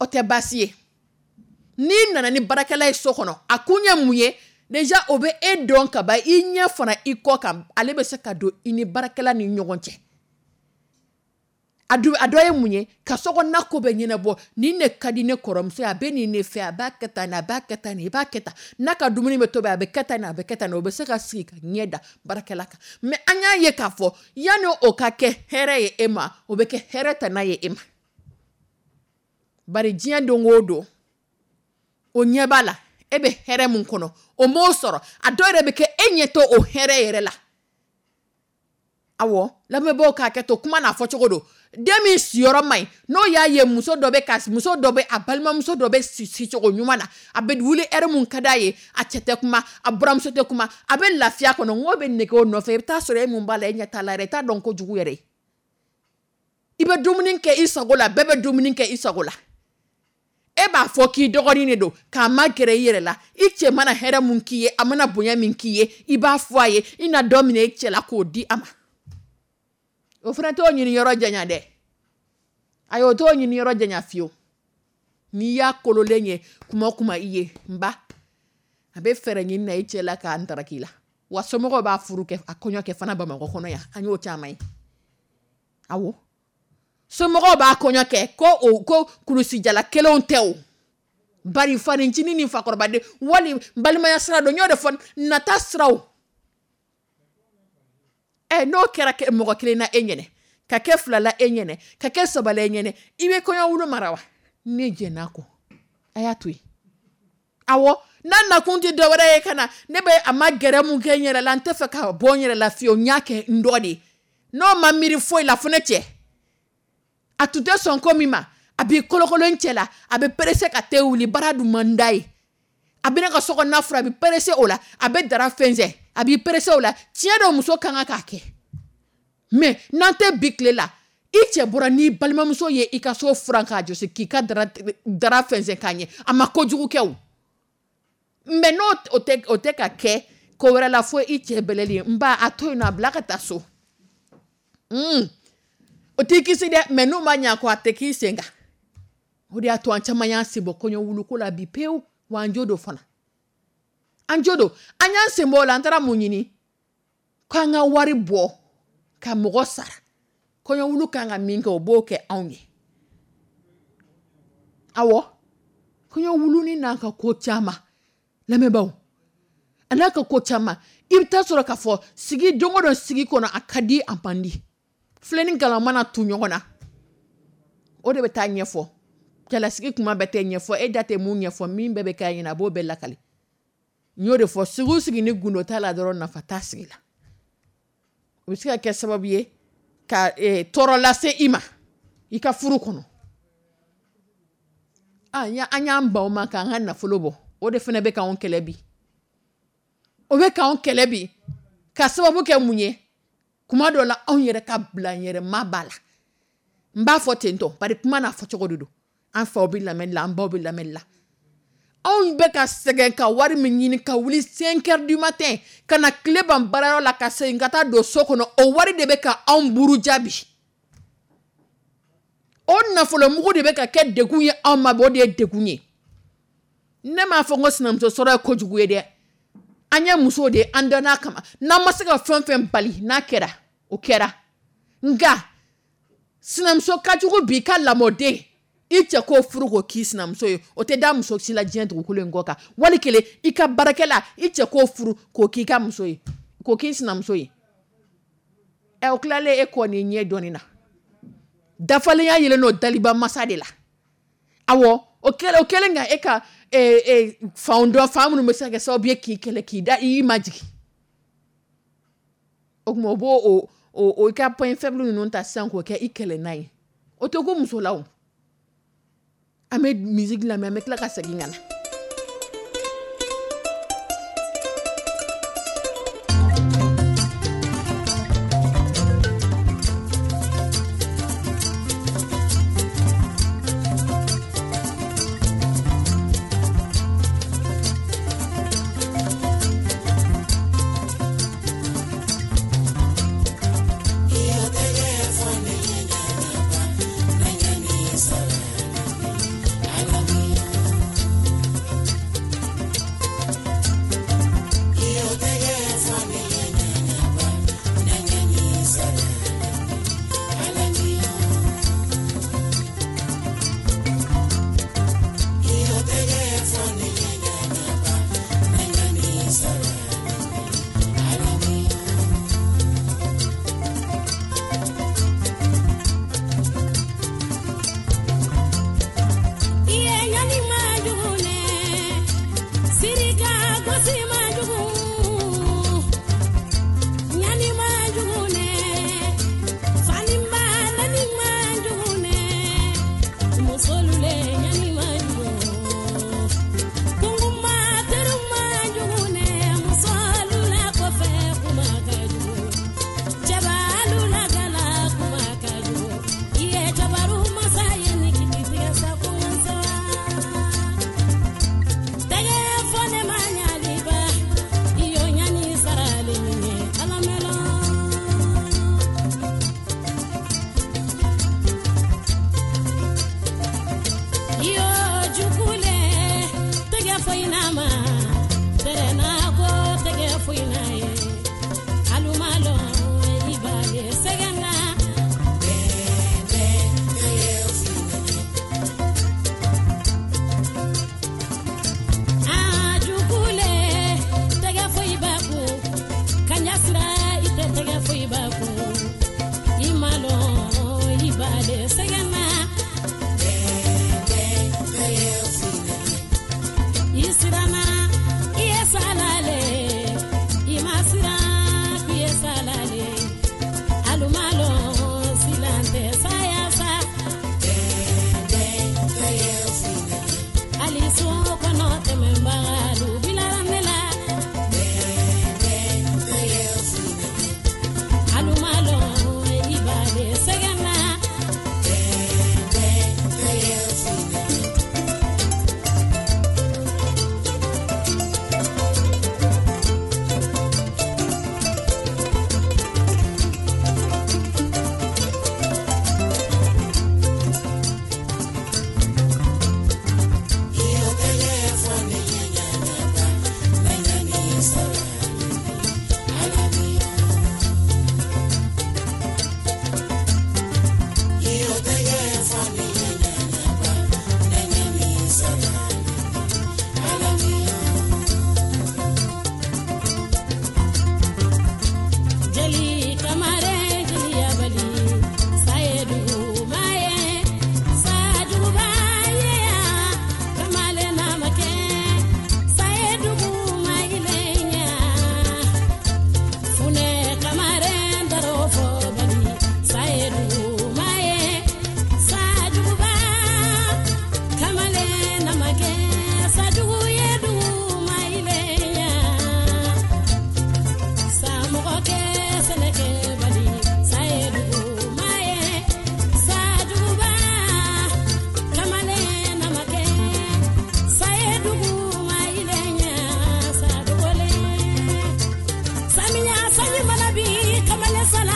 O tɛ baasi ye. N'i nana ni baarakɛla ye so kɔnɔ, a kun ye mun ye? Déjà, o bɛ e dɔn ka ban, i ɲɛ fana i kɔ kan, ale bɛ se ka don i ni baarakɛla ni ɲɔgɔn cɛ. A dɔ ye mun ye? Ka sokɔnɔna ko bɛɛ ɲɛnabɔ. Nin de ka di ne kɔrɔmuso ye, a bɛ nin de fɛ, a b'a kɛ tan, a b'a kɛ tan, i b'a kɛ tan. N'a ka dumuni bɛ tobi, a bɛ kɛ tan, a bɛ kɛ tan. O bɛ se ka sigi ka ɲɛ da baarakɛla kan. Mais an y'a ye k'a fɔ, yanni o ka kɛ hɛrɛ ye e ma, o bɛ kɛ hɛrɛ tana ye e ma. Bari diɲɛ don o don, o ɲɛ b'a la, e bɛ hɛrɛ mun kɔnɔ, o m'o sɔrɔ. A dɔw yɛrɛ bɛ kɛ, e ɲɛ t'o o hɛrɛ yɛrɛ la. Awɔ, lamɛnbaaw k'a kɛ to, kuma n'a fɔ cogo don. Den min siyɔrɔ man ɲi, n'o y'a ye muso dɔ bɛ ka muso dɔ bɛ a balimamuso dɔ bɛ sicogo ɲuman na, a bɛ wuli ɛri mun ka d'a ye, a cɛ tɛ kuma, a buramuso tɛ kuma, a bɛ lafiya kɔnɔ, n k'o bɛ nege o nɔfɛ. I bɛ taa sɔrɔ e mun b'a la, e ɲɛ t'a la yɛrɛ, i t'a dɔn kojugu yɛrɛ ye. I bɛ dumuni kɛ i sago la, bɛɛ bɛ dumuni kɛ i sago la. E b'a fɔ k'i dɔgɔnin de don, k'a ma gɛrɛ i yɛrɛ la. I cɛ mana hɛrɛ mun k'i ye, a mana bonya min k'i ye, i b'a fɔ a ye, i na dɔ minɛ i cɛ la k'o di a ma. O fana t'o ɲini yɔrɔ janya dɛ. Ayi, o t'o ɲini yɔrɔ janya fiyewu. N'i y'a kololen ye kuma o kuma i ye n ba, a bɛ fɛɛrɛ ɲini na i cɛ la k'a ntaraki la. Wa somɔgɔw b'a furu kɛ, a kɔɲɔ kɛ fana Bamakɔ kɔnɔ yan, an y'o caman ye. Awɔ, somɔgɔw b'a kɔɲɔ kɛ ko o ko kulusijala kelenw tɛ o, bari fanincinin ni fakɔrɔbaden wali balimaya sira don. N y'o de fɔ, nata siraw. Ɛ, n'o kɛra mɔgɔ kelen na e ɲɛnɛ, ka kɛ fila la e ɲɛnɛ, ka kɛ saba la e ɲɛnɛ, i bɛ kɔɲɔ wulu mara wa? Ne jɛn'a kɔ, a y'a to yen. Awɔ, n'a nakun tɛ dɔwɛrɛ ye ka na ne bɛ a ma gɛrɛ mun kɛ n yɛrɛ la, n tɛ fɛ ka bɔ n yɛrɛ la fiyewu, n y'a kɛ n dɔ de ye. N'o ma miiri foyi la fo ne cɛ, a tun tɛ sɔn ko min ma, a b'i kolokolo n cɛ la, a bɛ pressé ka te wuli, baara dun man d'a ye. A bɛ ne ka so kɔnɔna furan, a bɛ pressé o la, a bɛ dara fɛnsɛn, a b'i pressé o la. Tiɲɛ don, muso ka kan k'a kɛ. Mais n'an tɛ bi tile la, i cɛ bɔra n'i balimamuso ye i ka so furan k'a jɔsi, k'i ka dara fɛnsɛn k'a ɲɛ, a ma kojugu kɛ o. Mais n'o o tɛ ka kɛ ko wɛrɛ la fo i cɛ bɛlɛli ye, n ba, a to yen nɔ, a bila ka taa so. O t'i kisi dɛ, mais n'u ma ɲɛ ko a tɛ k'i sen kan. O de y'a to an caman y'an sen bɔ kɔɲɔ wuluko la bi pewu. Wa an jo don fana, an jo don, an y'an sen bɔ o la. An taara mun ɲini? K'an ka wari bɔ ka mɔgɔ sara kɔɲɔ wulu kan ka min kɛ, o b'o kɛ anw ye. Awɔ, kɔɲɔ wulunin n'a ka ko caman, lamɛnbaaw, a n'a ka ko caman. I bɛ taa sɔrɔ k'a fɔ sigi don o don sigi kɔnɔ, a ka di, a man di, filen ni galama mana tu ɲɔgɔn na, o de bɛ taa ɲɛfɔ. Cɛlasigi kuma bɛɛ tɛ ɲɛfɔ, e da tɛ mun ɲɛfɔ, min bɛɛ bɛ kɛ ɲɛna, a b'o bɛɛ lakali. N y'o de fɔ, sigi sigi ni gundo t'a la dɔrɔn, nafa t'a sigi la. O bɛ se ka kɛ sababu ye ka tɔɔrɔ lase i ma i ka furu kɔnɔ. An y'an ban o ma k'an ka nafolo bɔ, o de fana bɛ k'anw kɛlɛ bi. O bɛ k'anw kɛlɛ bi ka sababu kɛ mun ye? Kuma dɔ la, anw yɛrɛ ka bila n yɛrɛ ma b'a la. N b'a fɔ ten tɔ, bari kuma n'a fɔcogo de don. An faw bɛ lamɛnni la, an baw bɛ lamɛnni la. Anw bɛ ka sɛgɛn ka wari min ɲini, ka wuli 5 heures du matin ka na tile ban baarayɔrɔ la, ka segin ka taa don so kɔnɔ, o wari de bɛ ka anw buruja bi. O nafolomugu de bɛ ka kɛ degun ye anw ma bi, o de ye degun ye. Ne m'a fɔ n ko sinamuso sɔrɔ ye kojugu ye dɛ. An ye musow de ye, an danna kama. N'an ma se ka fɛn fɛn bali, n'a kɛra o kɛra. Nka sinamuso ka jugu bi ka lamɔden, i cɛ k'o furu k'o k'i sinamuso ye, o tɛ da muso si la diɲɛ dugukolo in kɔ kan. Wali kelen i ka baarakɛla, i cɛ k'o furu k'o k'i ka muso ye, k'o k'i sinamuso ye. Ɛ, o tilalen e kɔ ni ɲɛ dɔɔnin na, dafalenya yelen n'o daliba masa de la. Awɔ, o kɛlen ka e ka fanw dɔn, fan minnu bɛ se ka kɛ sababu ye k'i kɛlɛ, k'i da i majigin. O tuma o b'o o i ka point faible ninnu ta sisan k'o kɛ i kɛlɛ n'a ye. O tɛ ko muso la o. An bɛ musique lamɛn, an bɛ tila ka segin ka na.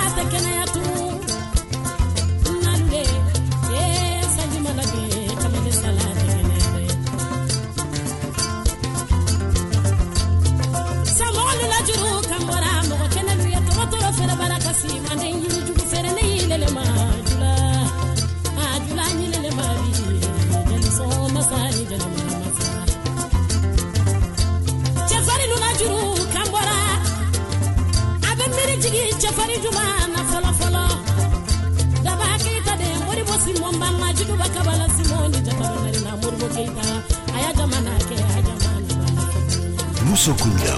Tɛ kɛnɛya tun nalu le ee sanji mana bin kamalen sala tɛ kɛnɛya dɛ samɔgɔlu la juru kan bɔra mɔgɔ kɛnɛlu ye tɔgɔtɔrɔ fɛrɛ bara kasi manden yirijugu fɛrɛ ne yilɛlɛ ma jula a jula ɲilɛlɛ ma bi jeli masa ni jeli masa cɛfarinlu la juru kan bɔra a bɛ miiri jigin cɛfarin juma na fɔlɔ fɔlɔ daba keyita de moribo simɔn banma juguba kabala simɔn ni jata na moribo keyita a y'a jamana kɛ a jamana Musokunda.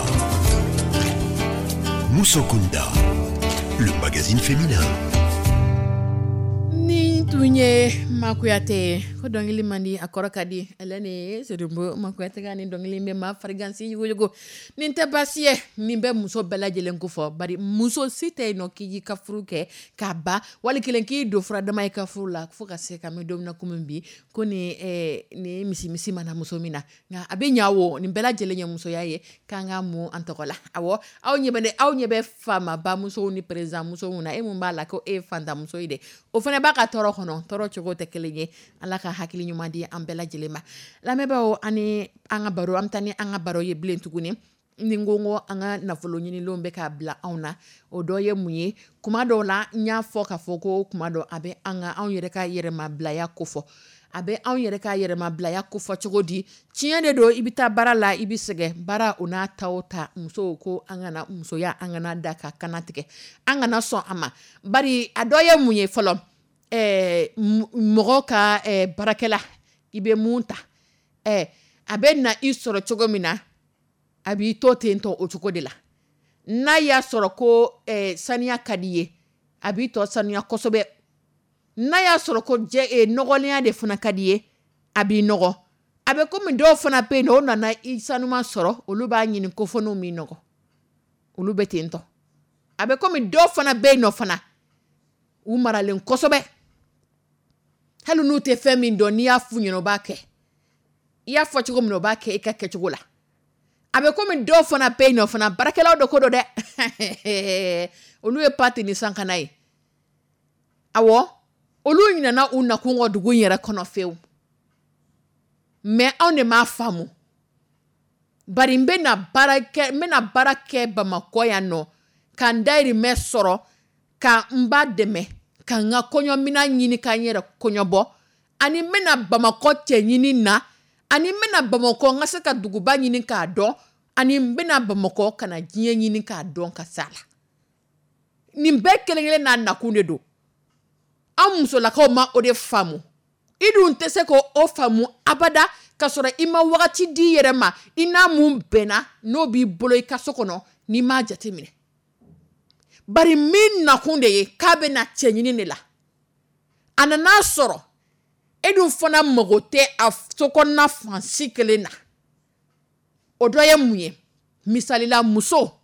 Musokunda. Le magazine féminin. Ni tun ye Makuyate ko dɔnkili man di, a kɔrɔ ka di. Ale ni Sedumbu Makuyate ka ni dɔnkili bɛ maa farigansi yugujugu. Nin tɛ baasi ye, nin bɛ muso bɛɛ lajɛlen ko fɔ. Bari muso si tɛ yen nɔ k'i y'i ka furu kɛ k'a ban, wali kelen k'i don furadama i ka furu la fo ka se ka bɛ don min na komi bi, ko ni ni misimisi mana muso min na, nka a bɛ ɲa wo. Nin bɛɛ lajɛlen ye musoya ye k'an ka mun an tɔgɔ la. Awɔ, aw ɲɛ bɛ ne, aw ɲɛ bɛ faamaba musow ni président musow na, e mun b'a la ko e ye fantanmuso ye dɛ, o fana b'a ka tɔɔrɔ kɔnɔ, tɔɔrɔ cogo tɛ kelen ye. Ala ka hakili ɲuman di an bɛɛ lajɛlen ma. Lamɛnbaaw, ani an ka baro, an bɛ taa ni an ka baro ye bilen tuguni. Ni ko ko an ka nafolo ɲinilenw bɛ k'a bila anw na, o dɔ ye mun ye? Kuma dɔw la, n y'a fɔ k'a fɔ ko kuma dɔ a bɛ an ka anw yɛrɛ ka yɛrɛmabilaya kofɔ. A bɛ anw yɛrɛ ka yɛrɛmabilaya kofɔ cogo di? Tiɲɛ de don, i bɛ taa baara la, i bɛ sɛgɛn baara, o n'a ta o ta, musow ko an kana musoya, an kana da ka kana tigɛ, an kana sɔn a ma. Bari a dɔ ye mun ye fɔlɔ? Mɔgɔ ka baarakɛla, i bɛ mun ta, a bɛ na i sɔrɔ cogo min na, a b'i to ten tɔ o cogo de la. N'a y'a sɔrɔ ko saniya ka di ye, a b'i tɔ saniya kosɛbɛ. N'a y'a sɔrɔ ko jɛ nɔgɔlenya de fana ka di ye, a b'i nɔgɔ. A bɛ komi dɔw fana bɛ yen, o nana i sanuma sɔrɔ, olu b'a ɲini ko fɔ n'u m'i nɔgɔ, olu bɛ ten tɔ. A bɛ komi dɔw fana bɛ yen nɔ fana, u maralen kosɛbɛ, hali n'u tɛ fɛn min dɔn, n'i y'a f'u ɲɛna, u b'a kɛ. I y'a fɔ cogo min na, u b'a kɛ i ka kɛcogo la. A bɛ komi dɔw fana bɛ yen nɔ fana, baarakɛlaw de ko don dɛ, olu ye pati ni sankana ye. Awɔ, olu ɲinɛna u nakun kɔ dugu in yɛrɛ kɔnɔ fewu. Mais anw de m'a faamu. Bari n bɛna baara kɛ, n bɛna baara kɛ Bamakɔ yan nɔ, ka n dayirimɛ sɔrɔ, ka n ba dɛmɛ, ka n ka kɔɲɔminan ɲini, ka n yɛrɛ kɔɲɔbɔ, ani n bɛna Bamakɔ cɛ ɲini na, ani n bɛna Bamakɔ n ka se ka duguba ɲini k'a dɔn, ani n bɛna Bamakɔ ka na diɲɛ ɲini k'a dɔn ka s'a la. Nin bɛɛ kelen kelen n'a nakun de don. An musolakaw ma o de faamu. I dun tɛ se k'o faamu abada k'a sɔrɔ i ma wagati di i yɛrɛ ma, i n'a mun bɛnna n'o b'i bolo i ka so kɔnɔ, n'i m'a jateminɛ. Bari min nakun de ye k'a bɛna cɛ ɲini de la, a nan'a sɔrɔ e dun fana mago tɛ a sokɔnɔna fan si kelen na. O dɔ ye mun ye? Misalila, muso,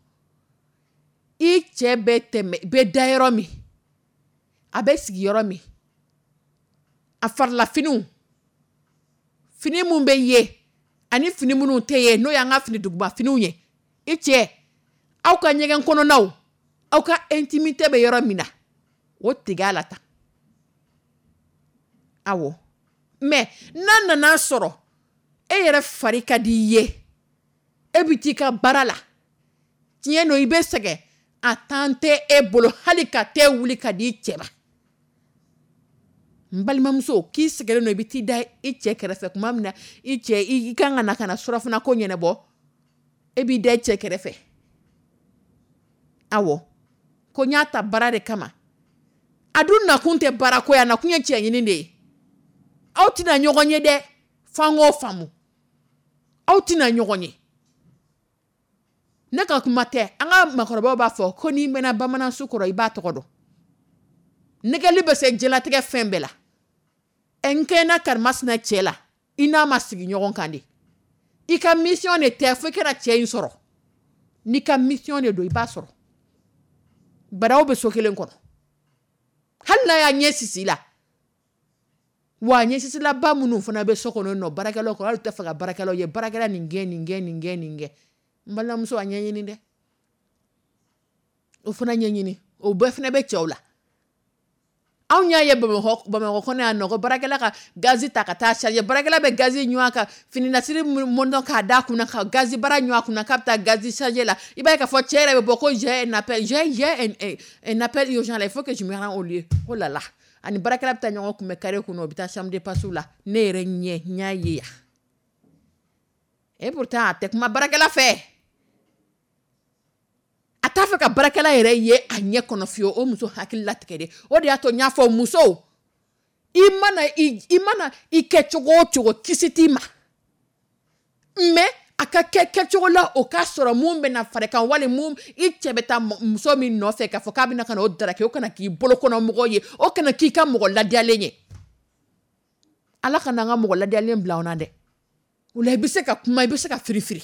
i cɛ bɛ tɛmɛ, bɛ da yɔrɔ min, a bɛ sigi yɔrɔ min, a farilafiniw, fini mun bɛ ye ani fini minnu tɛ ye, n'o y'an ka fini duguba finiw ye, i cɛ, aw ka ɲɛgɛn kɔnɔnaw, aw ka intimité bɛ yɔrɔ min na, o tigɛ a la tan. Awɔ, mais n'a nana sɔrɔ e yɛrɛ fari ka di i ye, e bɛ t'i ka baara la, tiɲɛ don i bɛ sɛgɛn, a tan tɛ e bolo hali ka te wuli ka di i cɛ ma. N balimamuso, k'i sɛgɛnnen don, i bɛ t'i da i cɛ kɛrɛfɛ tuma min na, i cɛ i kan ka na ka na surafana ko ɲɛnabɔ, e b'i da i cɛ kɛrɛfɛ. Awɔ, ko n y'a ta baara de kama. A dun nakun tɛ baarako ye, a nakun ye cɛ ɲini de ye. Aw tɛna ɲɔgɔn ye dɛ, f'an k'o faamu. Aw tɛna ɲɔgɔn ye. Ne ka kuma tɛ, an ka maakɔrɔbaw b'a fɔ ko n'i mɛnna bamanan su kɔrɔ, i b'a tɔgɔ dɔn. Nɛgɛli bɛ se diɲɛlatigɛ fɛn bɛɛ la. Ɛ, n kɛnɛ karimasina cɛ la, i n'a ma sigi ɲɔgɔn kan de. I ka mission de tɛ fo i kana cɛ in sɔrɔ. N'i ka mission de don, i b'a sɔrɔ. Bari aw bɛ so kelen kɔnɔ. Hali n'a y'a ɲɛ sisi la. Wa ɲɛ sisilaba minnu fana bɛ so kɔnɔ nɔ, baarakɛlaw kɔrɔ, hali tɛ fɛ ka baarakɛlaw ye, baarakɛla nin gɛn, nin gɛn, nin gɛn, nin gɛn. N balimamuso, a ɲɛɲini dɛ. O fana ɲɛɲini. O bɛɛ fana bɛ cɛw la. Anw y'a ye Bamakɔ kɔnɔ yan nɔ, ko baarakɛla ka gazi ta ka taa charger, baarakɛla bɛ gazi ɲun a ka fininasiri mɔnɔn k'a da kunna, ka gazi bara ɲun a kunna k'a bɛ taa gazi charger la. I b'a ye k'a fɔ cɛ yɛrɛ bɛ bɔ ko j'ai un appel, j'ai un appel urgent là, il faut que je me rende au lieu. Oh là là, ani baarakɛla bɛ taa ɲɔgɔn kunbɛn carré kɔnɔ, u bɛ taa chambre de passe la. Ne yɛrɛ ɲɛ n y'a ye yan. Et pourtant a tɛ kuma baarakɛla fɛ, a t'a fɛ ka baarakɛla yɛrɛ ye a ɲɛ kɔnɔ fiyewu. O muso hakili latigɛ de. O de y'a to n y'a fɔ musow, i mana i kɛ cogo o cogo, kisi t'i ma, mais a ka kɛ kɛcogo la o k'a sɔrɔ mun bɛna fara i kan, wali mun i cɛ bɛ taa muso min nɔfɛ k'a fɔ k'a bɛna ka na o daraki, o kana k'i bolo kɔnɔ mɔgɔ ye, o kana k'i ka mɔgɔ ladiyalen ye. Ala kana an ka mɔgɔ ladiyalen bila anw na dɛ. O la i bɛ se ka kuma, i bɛ se ka firifiri.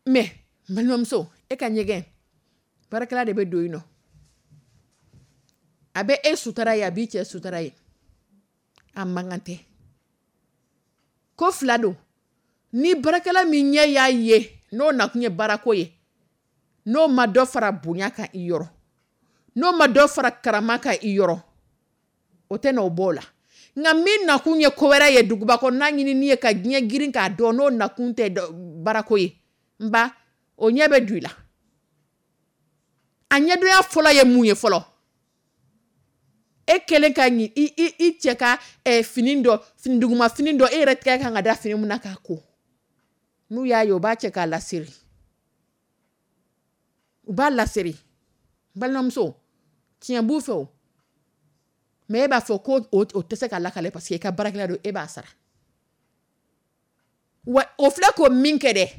Mais n balimamuso, e ka ɲɛgɛn, baarakɛla de bɛ don yen nɔ. A bɛ e sutara ye, a b'i cɛ sutara ye, a man kan tɛ. Ko fila don. Ni baarakɛla min ɲɛ y'a ye n'o nakun ye baarako ye, n'o ma dɔ fara bonya kan i yɔrɔ, n'o ma dɔ fara karama kan i yɔrɔ, o tɛ n'o bɔ o la. Nka min nakun ye ko wɛrɛ ye, duguba kɔnɔna ɲinini ye ka diɲɛ girin k'a dɔn, n'o nakun tɛ baarako ye, n ba, o ɲɛ bɛ don i la. A ɲɛdonya fɔlɔ ye mun ye fɔlɔ? E kɛlen ka ɲi i cɛ ka fini dɔ, fini duguma fini dɔ, e yɛrɛ tɛgɛ kan ka da fini mun na k'a ko, n'u y'a ye, u b'a cɛ k'a laseri, u b'a laseri. N balimamuso, tiɲɛ b'u fɛ o, mais e b'a fɔ ko o tɛ se ka lakale parce que i ka baarakɛla don, e b'a sara. Wa o filɛ k'o min kɛ dɛ,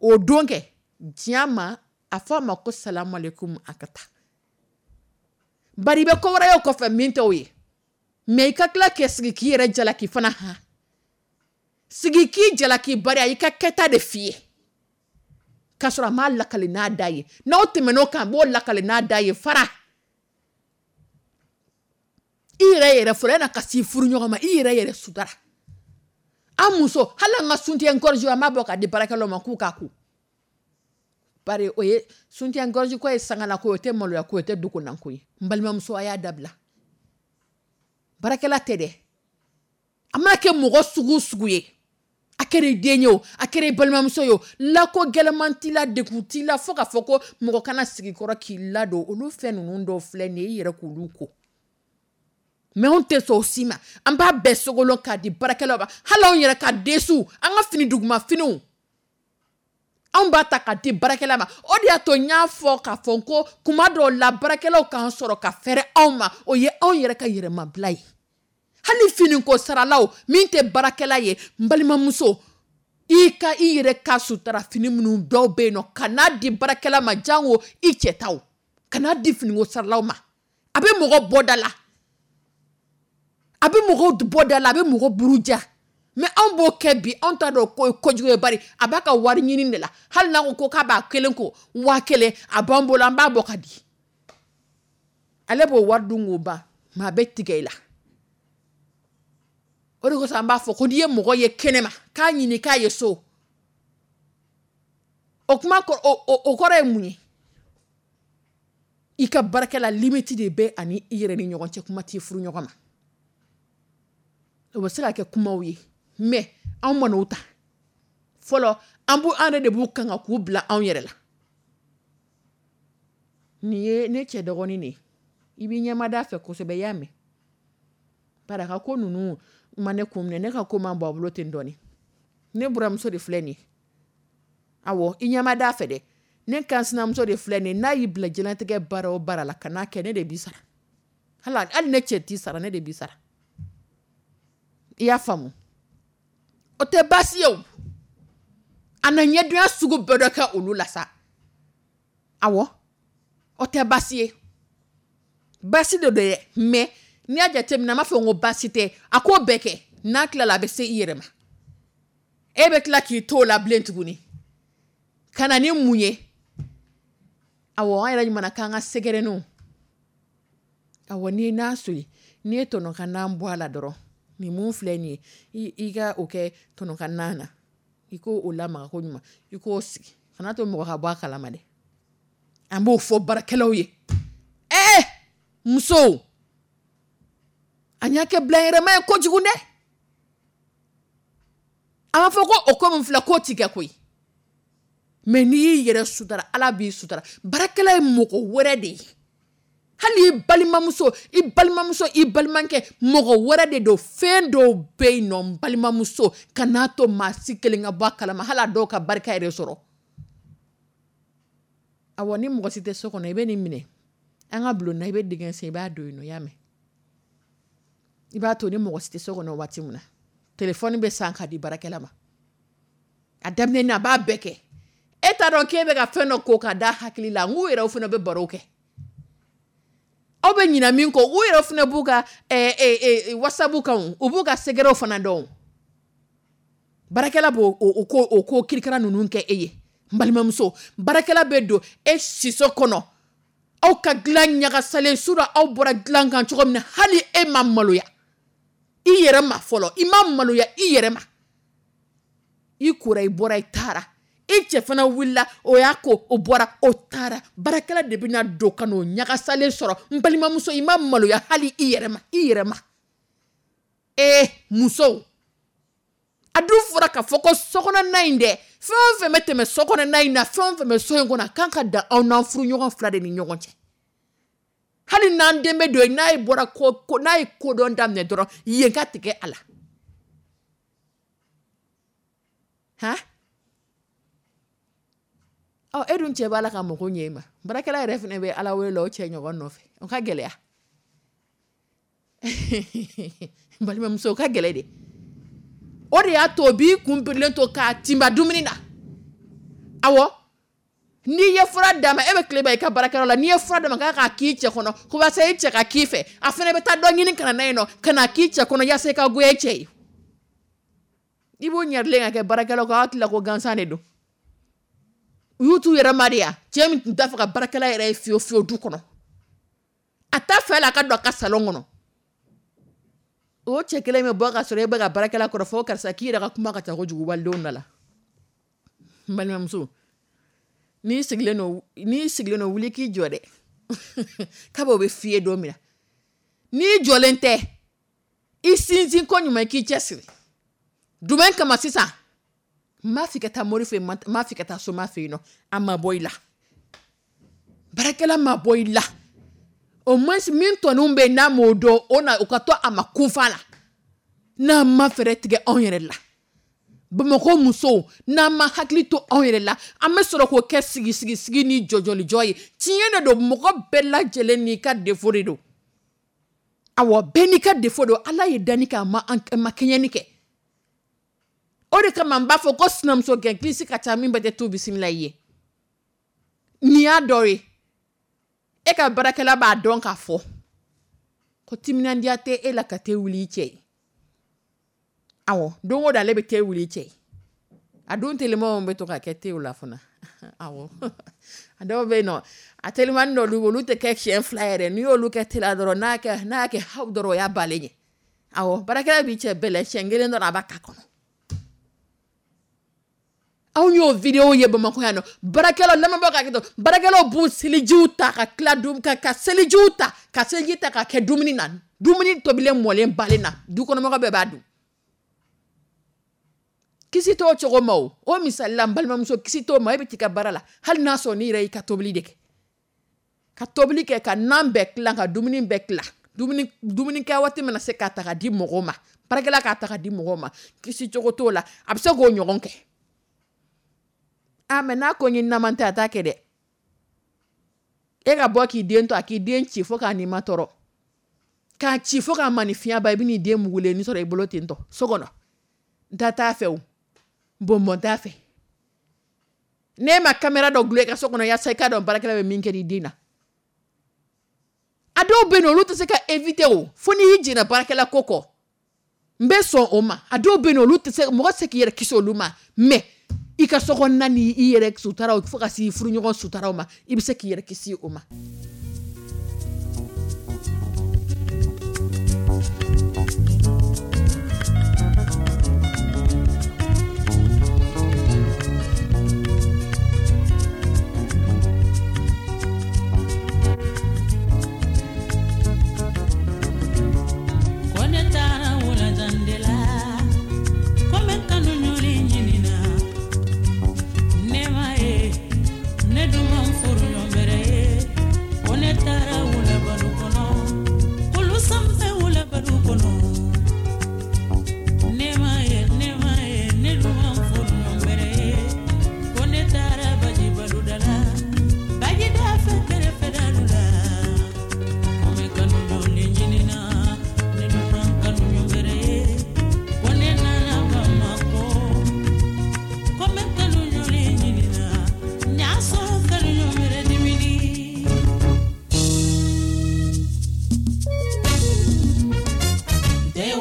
o don kɛ diɲɛ ma, a fɔ a ma ko salamualeykum, a ka taa. Bari i bɛ ko wɛrɛ ye o kɔfɛ min t'o ye. Mais i ka tila k'i sigi k'i yɛrɛ jalaki fana, han, sigi k'i jalaki, bari a y'i ka kɛta de f'i ye k'a sɔrɔ a m'a lakale n'a da ye. N'aw tɛmɛn'o kan, a b'o lakale n'a da ye. Fara i yɛrɛ yɛrɛ fɔlɔ, yan'a ka s'i furu ɲɔgɔn ma, i yɛrɛ yɛrɛ sutara. An muso, hali an ka soutien-gorge, an b'a bɔ k'a di baarakɛlaw ma k'u k'a ko. Bari o ye soutien-gorge ko ye, sangala ko ye, o tɛ maloya ko ye, o tɛ dogonan ko ye. N balimamuso, a y'a dabila. Baarakɛla tɛ dɛ, a mana kɛ mɔgɔ sugu o sugu ye, a kɛra i den ye o, a kɛra i balimamuso ye o, lako gɛlɛman t'i la, degun t'i la, fo k'a fɔ ko mɔgɔ kana sigi kɔrɔ k'i ladon. Olu fɛn ninnu dɔw filɛ nin ye, i yɛrɛ k'olu ko. Mais anw tɛ sɔn o si ma, an b'a bɛɛ sogolon k'a di baarakɛlaw ma. Hali anw yɛrɛ ka dessous, an ka fini duguma finiw, anw b'a ta k'a di baarakɛla ma. O de y'a to n y'a fɔ k'a fɔ ko kuma dɔw la, baarakɛlaw k'an sɔrɔ ka fɛrɛ anw ma, o ye anw yɛrɛ ka yɛrɛmabila ye. Hali finiko saralaw, min tɛ baarakɛla ye, n balimamuso, i ka i yɛrɛ ka sutura fini minnu dɔw bɛ yen nɔ, kan'a di baarakɛla ma, jango i cɛ taw, kan'a di finiko saralaw ma. A bɛ mɔgɔ bɔ da la, a bɛ mɔgɔw bɔ da la, a bɛ mɔgɔ buruja. Mais anw b'o kɛ bi, anw t'a dɔn ko ye kojugu ye. Bari a b'a ka wari ɲini de la. Hali n'a ko k'a b'a kelen ko 1000, a b'an bolo, an b'a bɔ ka di ale, b'o wari dun k'o ban, mais a bɛ tigɛ i la. O de kosɔn an b'a fɔ ko n'i ye mɔgɔ ye kɛnɛma k'a ɲini k'a ye so, o kuma o kɔrɔ ye mun ye? I ka baarakɛla, limite de bɛ ani i yɛrɛ ni ɲɔgɔn cɛ, kuma t'i furu ɲɔgɔn ma. O bɛ se ka kɛ kumaw ye, mais anw man'o ta fɔlɔ, an b'u an yɛrɛ de b'u kan k'u bila anw yɛrɛ la. Nin ye ne cɛ dɔgɔnin de ye, i b'i ɲɛmada a fɛ kosɛbɛ, i y'a mɛn. Bari a ka ko ninnu ma ne kun minɛ, ne ka ko man bɔ a bolo ten dɔɔni. Ne buramuso de filɛ nin ye, awɔ, i ɲɛmada a fɛ dɛ. Ne kan sinamuso de filɛ nin ye, n'a y'i bila diɲɛlatigɛ baara o baara la, kan'a kɛ, ne de b'i sara. Hali ne cɛ t'i sara, ne de b'i sara. I y'a faamu? O tɛ baasi ye o, a na ɲɛdonya sugu bɛɛ dɔ kɛ olu la sa. Awɔ, o tɛ baasi ye, baasi de don dɛ. Mais n'i y'a jateminɛ, an b'a fɔ ko baasi tɛ a k'o bɛɛ kɛ, n'a tilala a bɛ se i yɛrɛ ma. E bɛ tila k'i to o la bilen tuguni ka na ni mun ye? Awɔ, an yɛrɛ ɲuman k'an ka sɛgɛrɛninw. Awɔ, n'i ye n'a soli, n'i ye tɔnɔ ka nan bɔ a la dɔrɔn, nin mun filɛ nin ye, i ka o kɛ tɔnɔ ka nan na, i k'o o lamaga ko ɲuman, i k'o sigi, kana to mɔgɔ ka bɔ a kalama dɛ. An b'o fɔ baarakɛlaw ye. Ɛɛ musow, an y'a kɛ bilayɛrɛma ye kojugu dɛ. An b'a fɔ ko o ko min filɛ k'o ti kɛ koyi. Mais n'i y'i yɛrɛ sutara, Ala b'i sutara. Baarakɛla ye mɔgɔ wɛrɛ de ye. Hali i balimamuso, i balimamuso, i balimakɛ, mɔgɔ wɛrɛ de don. Fɛn dɔw bɛ yen nɔ, n balimamuso, kan'a to maa si kelen ka bɔ a kalama, hali a dɔw ka barika yɛrɛ sɔrɔ. Awɔ, ni mɔgɔ si tɛ so kɔnɔ, i bɛ nin minɛ. An ka bulon na, i bɛ dingɛ sen, i b'a don yen nɔ, i y'a mɛn. I b'a to ni mɔgɔ si tɛ so kɔnɔ waati min na, telefɔni bɛ san ka di baarakɛla ma. A daminɛ na, a b'a bɛɛ kɛ. E t'a dɔn k'e bɛ ka fɛn dɔ ko ka da hakili la, n k'u yɛrɛ fana bɛ baro kɛ. Aw bɛ ɲinɛ min kɔ, u yɛrɛ fana b'u ka WhatsApp kan, u b'u ka secret fana dɔn. Baarakɛla b'o o ko kirikara ninnu kɛ e ye. N balimamuso, baarakɛla bɛ don e siso kɔnɔ, aw ka dilan ɲagasalen, su rɔ aw bɔra dilan kan cogo min na, hali e ma maloya i yɛrɛ ma fɔlɔ, i ma maloya i yɛrɛ ma. I kora, i bɔra, i taara. I cɛ fana wulila, o y'a ko, o bɔra, o taara. Baarakɛla de bɛna don ka n'o ɲagasalen sɔrɔ. N balimamuso, i ma maloya hali i yɛrɛ ma, i yɛrɛ ma. Ee musow, a dun fɔra k'a fɔ ko sokɔnɔna in dɛ, fɛn o fɛn bɛ tɛmɛ sokɔnɔna in na, fɛn o fɛn bɛ so in kɔnɔ, a kan ka dan aw n'aw furuɲɔgɔn fila de ni ɲɔgɔn cɛ. Hali n'an den bɛ don yen, n'a ye bɔra ko, ko, n'a ye kodɔn daminɛ dɔrɔn, yen ka tigɛ a la. Han? Ɔ, e dun cɛ b'a la ka mako ɲɛ e ma. Baarakɛla yɛrɛ fana bɛ Ala wele la o cɛ ɲɔgɔn nɔfɛ. O ka gɛlɛya. N balimamuso, o ka gɛlɛ de. O de y'a to o b'i kun birilen to k'a tinba dumuni na. Awɔ. N'i ye fura d'a ma, e bɛ tile ban i ka baarakɛyɔrɔ la, n'i ye fura d'a ma k'a k'a k'i cɛ kɔnɔ, ko walasa i cɛ ka k'i fɛ, a fana bɛ taa dɔ ɲini ka na n'a ye nɔ, ka na k'i cɛ kɔnɔ yaasa i ka goya i cɛ ye. I b'o ɲɛrilen ka kɛ baarakɛlaw kan, aw hakili la ko gansan de don. U y'u t'u yɛrɛ ma de ya. Cɛ min tun t'a fɛ ka baarakɛla yɛrɛ ye fiyewu fiyewu du kɔnɔ. A t'a fɛ la a ka don a ka salon kɔnɔ. O cɛ kelen bɛ bɔ ka sɔrɔ e bɛ ka baarakɛla kɔrɔ fɔ karisa k'i yɛrɛ ka kuma ka ca kojugu walidenw da la. N balimamuso, n'i sigilen don, n'i sigilen don, wuli k'i jɔ dɛ. Kabi o bɛ f'i ye don min na. N'i jɔlen tɛ, i sinsin ko ɲuman k'i cɛsiri. Jumɛn kama sisan? N m'a f'i ka taa mori fɛ yen, n m'a f'i ka taa soma fɛ yen nɔ. A ma bɔ i la. Baarakɛla ma bɔ i la. Au moins min tɔninw bɛ yen n'a m'o dɔn, o na o ka to a ma kunfa la. N'an ma fɛɛrɛ tigɛ anw yɛrɛ la. Bamakɔ musow, n'an ma hakili to anw yɛrɛ la, an bɛ sɔrɔ k'o kɛ sigi sigi sigi ni jɔjɔlijɔ ye. Tiɲɛ de don, mɔgɔ bɛɛ lajɛlen n'i ka défaut de don. Awɔ, bɛɛ n'i ka défaut don. Ala ye danni kɛ, a ma an, a ma kɛɲɛni kɛ. O de kama n b'a fɔ ko sinamuso gɛn kilisi ka ca min bɛɛ tɛ tu bisimila i ye. Nin y'a dɔ ye. E ka baarakɛla b'a dɔn k'a fɔ ko timinandiya tɛ e la ka te wuli i cɛ ye. Awɔ, don o don ale bɛ te wuli i cɛ ye. A dun telimanw bɛ to ka kɛ tew la fana. Awɔ. A dɔw bɛ yen nɔ, a telimani dɔw olu tɛ kɛ siɲɛ fila yɛrɛ. N'i y'olu kɛ te la dɔrɔn, n'a y'a kɛ haw dɔrɔn, o y'a balen ye. Awɔ, baarakɛla b'i cɛ bɛlɛ siɲɛ kelen dɔrɔn a b'a k'a kɔnɔ. Anw y'o vidéo ye Bamakɔ yan nɔ. Baarakɛlaw, lamɛnbagaw ka hakɛ to, baarakɛlaw b'u selijiw ta ka tila dun, ka, ka selijiw ta, ka seliji ta ka kɛ dumuni na. Dumuni tobilen mɔlen balen na, du kɔnɔmɔgɔ bɛɛ b'a dun. Kisi t'o cogo ma o. O misali la, n balimamuso, kisi t'o ma, e bɛ t'i ka baara la. Hali n'a sɔrɔ n'i yɛrɛ y'i ka tobili de kɛ. Ka tobili kɛ, ka nan bɛɛ tilan, ka dumuni bɛɛ tilan. Dumuni kɛ waati mana se k'a ta ka di mɔgɔw ma. Baarakɛla k'a ta ka di mɔgɔw ma. Kisi cogo t'o la. A bɛ se k'o ɲɔgɔn kɛ. Ah, mais n'a ko n ye naman tɛ, a t'a kɛ dɛ. E ka bɔ k'i den to, a k'i den ci fo k'a ni ma tɔɔrɔ. K'a ci fo k'a maninfinya ban, i bɛ n'i den mugulen ni sɔrɔ i bolo ten tɔ, so kɔnɔ. N ta t'a fɛ o. Bɔnbɔn t'a fɛ. N'e ma caméra dɔ dulon i ka so kɔnɔ yaasa i k'a dɔn baarakɛla bɛ min kɛ i den na. A dɔw bɛ yen nɔ, olu tɛ se ka éviter o. Fo n'i y'i jɛnna baarakɛla ko kɔ. N bɛ sɔn o ma. A dɔw bɛ yen nɔ, olu tɛ se, mɔgɔ tɛ se k'i yɛrɛ kisi olu ma. Mais i ka so kɔnɔna ni i yɛrɛ sutaraw fo ka se furuɲɔgɔn sutaraw ma, i bɛ se k'i yɛrɛ kisi o ma.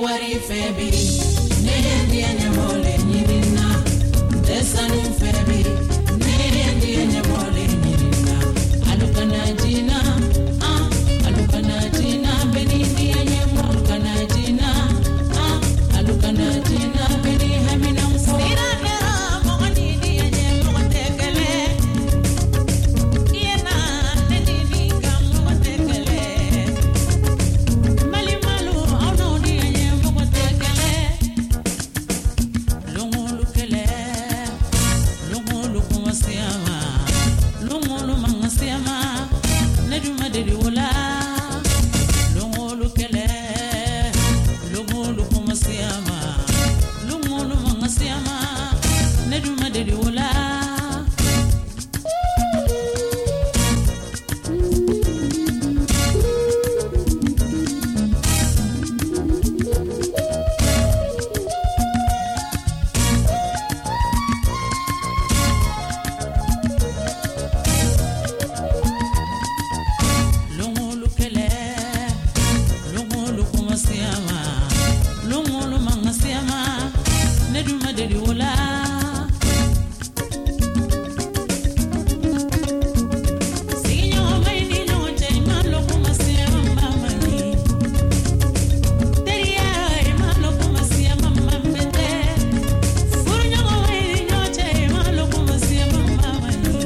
Wari fɛ bi, ne ye diɲɛ ɲɛmɔgɔ ɲini na. N tɛ sanu fɛ bi, ne ye diɲɛ ɲɛmɔgɔ ɲini na. Alu kana jina, ah, alu kana jina, bɛɛ ni diɲɛ ɲɛmɔgɔ kana jina, ah, alu kana jina, bɛɛ ni hamina fɔ. Sira kɛra mɔgɔ ni diɲɛ ɲɛmɔgɔ tɛ kelen. I ye na ne ni ni ka mɔgɔ tɛ kelen. Mali malu aw n'aw diɲɛ ɲɛmɔgɔ tɛ kelen. Longolu kɛlɛ, longolu kuma siyama, longolu manga siyama, ne dun ma deli o la. Longolu kɛlɛ, longolu kuma siyama, longolu manga siyama, ne dun ma deli o la. Longolu kɛlɛ, longolu kuma siyama, longolu manga siyama, ne dun ma deli o la. Sigiɲɔgɔnmaw ni ɲɔgɔn cɛ, i ma lɔn kuma siyama man ɲi. Teriya, i ma lɔn kuma siyama man bɛtɛ. Furuɲɔgɔnmaw ni ɲɔgɔn cɛ, i ma lɔn kuma siyama man ɲi.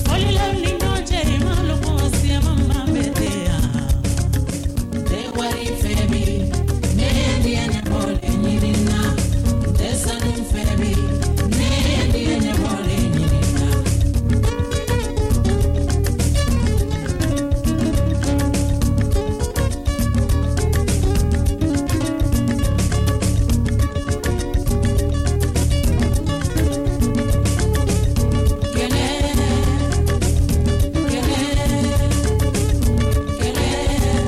Fɔlilaw ni ɲɔgɔn cɛ, i ma lɔn kuma siyama man bɛtɛ. N tɛ wari fɛ bi, ne ye diɲɛ ɲɛmɔgɔ ɲini na. N tɛ sanu fɛ bi, ne ye diɲɛ ɲɛmɔgɔ ɲini na. Kɛlɛ, kɛlɛ, kɛlɛ,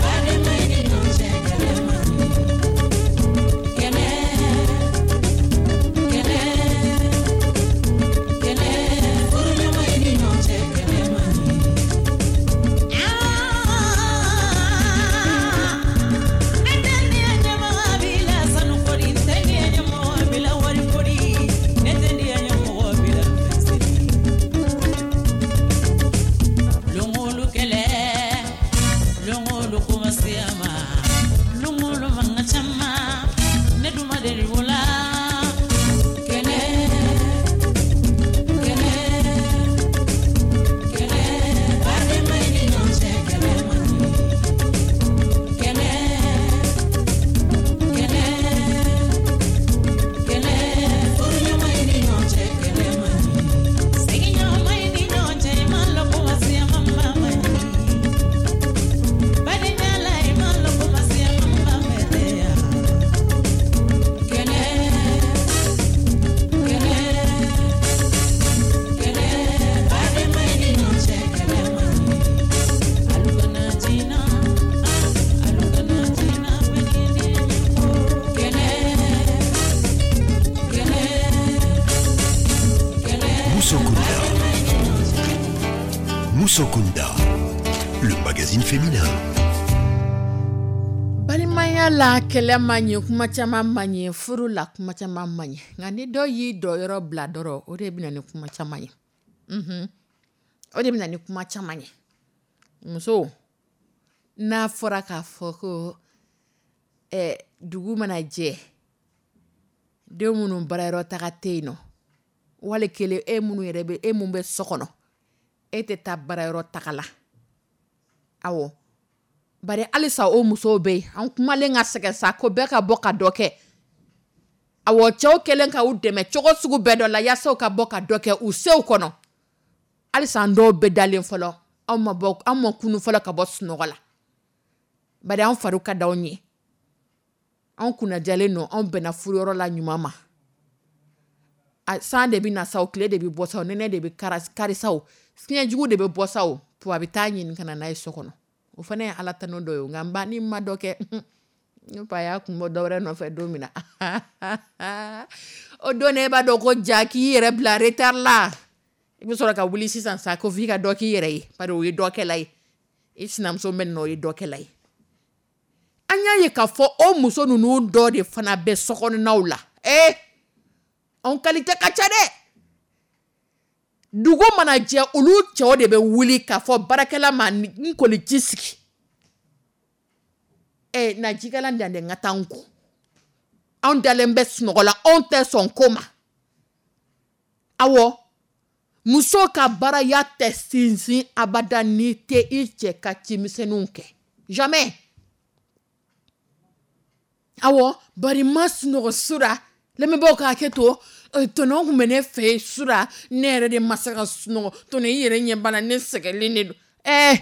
badenma i ni ɲɔgɔn cɛ kɛlɛ man ɲi. Kɛlɛ, kɛlɛ, kɛlɛ, furuɲɔgɔn i ni ɲɔgɔn cɛ kɛlɛ man ɲi. Ne tɛ diɲɛ ɲɛmɔgɔ bila sanu kori, n tɛ diɲɛ ɲɛmɔgɔ bila wari kori, ne tɛ diɲɛ ɲɛmɔgɔ bila fɛn siri. Longolu kɛlɛ, longolu kuma siyama, longolu manga caman, ne dun ma deli o la. Kɛlɛ, kɛlɛ, kɛlɛ, badenma i ni ɲɔgɔn cɛ kɛlɛ man ɲi. Kɛlɛ, kɛlɛ, kɛlɛ, furuɲɔgɔn i ni ɲɔgɔn cɛ kɛlɛ man ɲi. Sigiɲɔgɔnma i ni ɲɔgɔn cɛ, i ma lɔn kuma siyama man ɲi. Badenya la, i ma lɔn kuma siyama man bɛtɛ. Kɛlɛ, kɛlɛ, kɛlɛ, badenma i ni ɲɔgɔn cɛ kɛlɛ man ɲi. Alu kana jina, alu kana jina, bɛɛ ni diɲɛ ɲɛmɔgɔ. Kɛlɛ, kɛlɛ, kɛlɛ, Moussokunda. badenma i ni ɲɔgɔn cɛ. Moussokunda, le magazine féminin. Balimaya la kɛlɛ man ɲi, kuma caman man ɲi, furu la kuma caman man ɲi, nka ni dɔ y'i dɔyɔrɔ bila dɔrɔn, o de bɛ na ni kuma caman ye. O de bɛ na ni kuma caman ye. Muso, n'a fɔra k'a fɔ ko dugu mana jɛ, den minnu baarayɔrɔ taga tɛ yen nɔ, wali kelen e minnu yɛrɛ bɛ, e mun bɛ so kɔnɔ, e tɛ taa baarayɔrɔ taga la. Awɔ, bari halisa o musow bɛ yen, an kumalen ka sɛgɛn sa ko bɛɛ ka bɔ ka dɔ kɛ. Awɔ, cɛw kɛlen ka u dɛmɛ cogo sugu bɛɛ dɔ la yaasa u ka bɔ ka dɔ kɛ u sew kɔnɔ. Halisa an dɔw bɛ dalen fɔlɔ, anw ma bɔ, anw ma kunu fɔlɔ ka bɔ sunɔgɔ la. Bari an fariw ka d'anw ye. Anw kunnajalen don, anw bɛnna furuyɔrɔ la ɲuman ma. A, san de bɛ na sa o, tile de bɛ bɔ sa o, nɛnɛ de bɛ kari sa o, fiɲɛjugu de bɛ bɔ sa o, to a bɛ taa ɲini ka na n'a ye so kɔnɔ. O fana ye Ala tanu dɔ ye o, nka n ba ni ma dɔ kɛ, ne fa y'a kun bɔ dɔ wɛrɛ nɔfɛ don min na. O don e b'a dɔn ko ja k'i yɛrɛ bila retard la. I bɛ sɔrɔ ka wuli sisan sa ko f'i ka dɔ k'i yɛrɛ ye, bari o ye dɔkɛla ye. I sinamuso bɛ nin na, o ye dɔkɛla ye. An y'a ye k'a fɔ o muso ninnu dɔ de fana bɛ sokɔnɔnaw la. Ee, anw qualité ka ca dɛ. Dugu mana jɛ, olu cɛw de bɛ wuli k'a fɔ baarakɛla ma: "N kɔni ji sigi, ɛ na jikalan dan dɛ, n ka taa n ko." Anw dalen bɛ sunɔgɔ la, anw tɛ sɔn ko ma. Awɔ, muso ka baaraya tɛ sinsin abada n'i tɛ i cɛ ka cimisɛnninw kɛ, jamais. Awɔ, bari ma sunɔgɔ sura, lamɛnbaaw ka hakɛ to, tɔnɔ tun bɛ ne fɛ yen sura, ne yɛrɛ de ma se ka sunɔgɔ. Tɔnɔ, i yɛrɛ ɲɛ b'a la, ne sɛgɛnlen de don. Ɛɛ,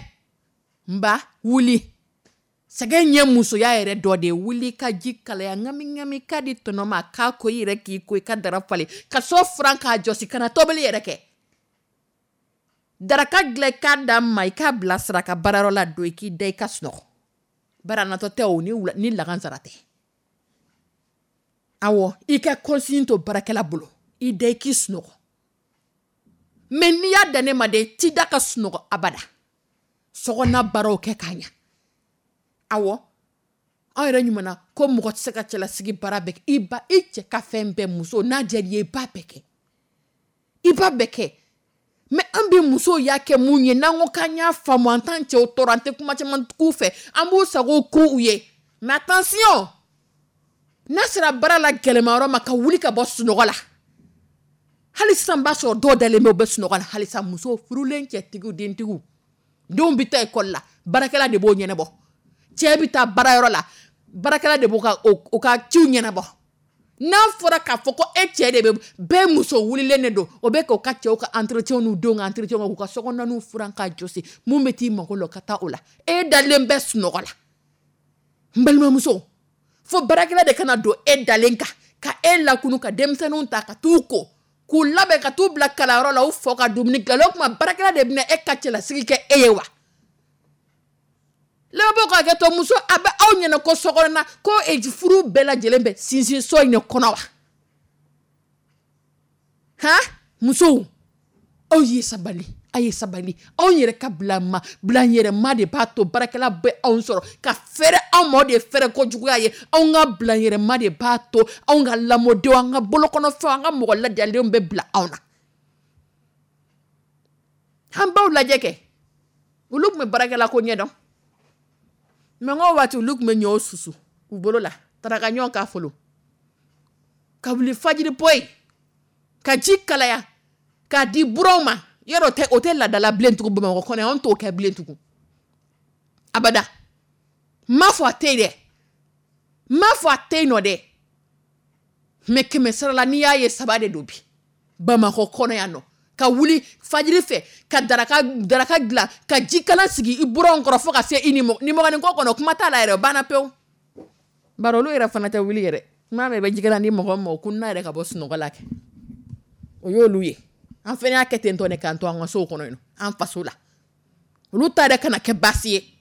n ba, wuli. Sɛgɛn ye musoya yɛrɛ dɔ de ye. Wuli ka ji kalaya ŋami ŋami k'a di tɔnɔ ma, k'a ko i yɛrɛ, k'i ko i ka dara falen, ka so furan k'a jɔsi, ka na tobili yɛrɛ kɛ, daraka dilan, i k'a d'a ma, i k'a bilasira ka baarayɔrɔ la don, i k'i da i ka sunɔgɔ. Bari a natɔ tɛ o ni wula ni lagansara tɛ. Awɔ, i ka consigne to baarakɛla bolo, i da i k'i sunɔgɔ. Mais n'i y'a dan ne ma dɛ, i t'i da ka sunɔgɔ abada. Sokɔnɔna baaraw kɛ k'a ɲa. Awɔ, anw yɛrɛ ɲuman ko mɔgɔ tɛ se ka cɛlasigi baara bɛɛ kɛ. I ba, i cɛ ka fɛn bɛɛ, muso n'a diyara i ye, i b'a bɛɛ kɛ, i b'a bɛɛ kɛ. Mais an bɛ musow y'a kɛ mun ye? N'an ko k'an y'a faamu, an t'an cɛw tɔɔrɔ, an tɛ kuma caman k'u fɛ, an b'u sago k'u ye. Mais attention, n'a sera baara la gɛlɛmayɔrɔ ma, ka wuli ka bɔ sunɔgɔ la, hali sisan b'a sɔrɔ dɔw dalen bɛ, u bɛ sunɔgɔ la halisa. Musow furulen, cɛtigiw, dentigiw, denw bɛ taa ekɔli la, baarakɛla de b'o ɲɛnabɔ. Cɛ bɛ taa baarayɔrɔ la, baarakɛla de b'o ka o ka ciw ɲɛnabɔ. N'a fɔra k'a fɔ ko e cɛ de bɛ bɛɛ, muso wulilen de don, o bɛ k'o ka cɛw ka entretien n'u denw ka entretien, k'u ka sokɔnɔnaw furan k'a jɔsi, mun bɛ t'i mako la, ka taa o la, e dalen bɛ sunɔgɔ la. N balimamuso, fo baarakɛla de kana don e dalen kan ka e lakunu, ka denmisɛnninw ta ka t'u ko, k'u labɛn ka t'u bila kalanyɔrɔ la, u fɔ ka dumuni dilan. O tuma baarakɛla de bɛna e ka cɛlasigi kɛ e ye wa? Lamɛnbaaw ka hakɛ to, muso, a bɛ aw ɲɛna ko sokɔnɔna ko furu bɛɛ lajɛlen bɛ sinsin so in de kɔnɔ wa? Han, musow, aw ye sabali, a ye sabali. Anw yɛrɛ ka bila ma bila yɛrɛ ma de b'a to baarakɛla bɛ anw sɔrɔ ka fɛrɛ anw ma. O de ye fɛrɛ kojuguya ye. Anw ka bila yɛrɛ ma de b'a to anw ka lamɔdenw, an ka bolokɔnɔfɛnw, an ka mɔgɔ ladiyalenw bɛ bila anw na. An baw lajɛ kɛ, olu tun bɛ baarakɛla ko ɲɛdɔn. Mais n ko waati olu tun bɛ ɲɔw susu u bolo la, taraka ɲɔ k'a folo, ka wuli fajiri poyi ka ji kalaya k'a di buranw ma. Yɔrɔ tɛ, o tɛ laadala bilen tugun Bamakɔ kɔnɔ yan, anw t'o kɛ bilen tugun abada. N m'a fɔ a tɛ yen dɛ, n m'a fɔ a tɛ yen nɔ dɛ, mais 100 sara la, n'i y'a ye saba de don bi Bamakɔ kɔnɔ yan nɔ, ka wuli fajiri fɛ ka daraka daraka dilan, ka jikalan sigi i buranw kɔrɔ fo ka se i ni nimɔgɔnin ko kɔnɔ, kuma t'a la yɛrɛ, o banna pewu. Bari olu yɛrɛ fana tɛ wuli yɛrɛ. Kuma mɛn i bɛ jikalan di mɔgɔ ma, o kunna yɛrɛ ka bɔ sunɔgɔ la kɛ, o y'olu ye. An fana y'a kɛ ten tɔ de k'an to an ka sow kɔnɔ yen, an faso la. Olu ta yɛrɛ kana kɛ baasi ye.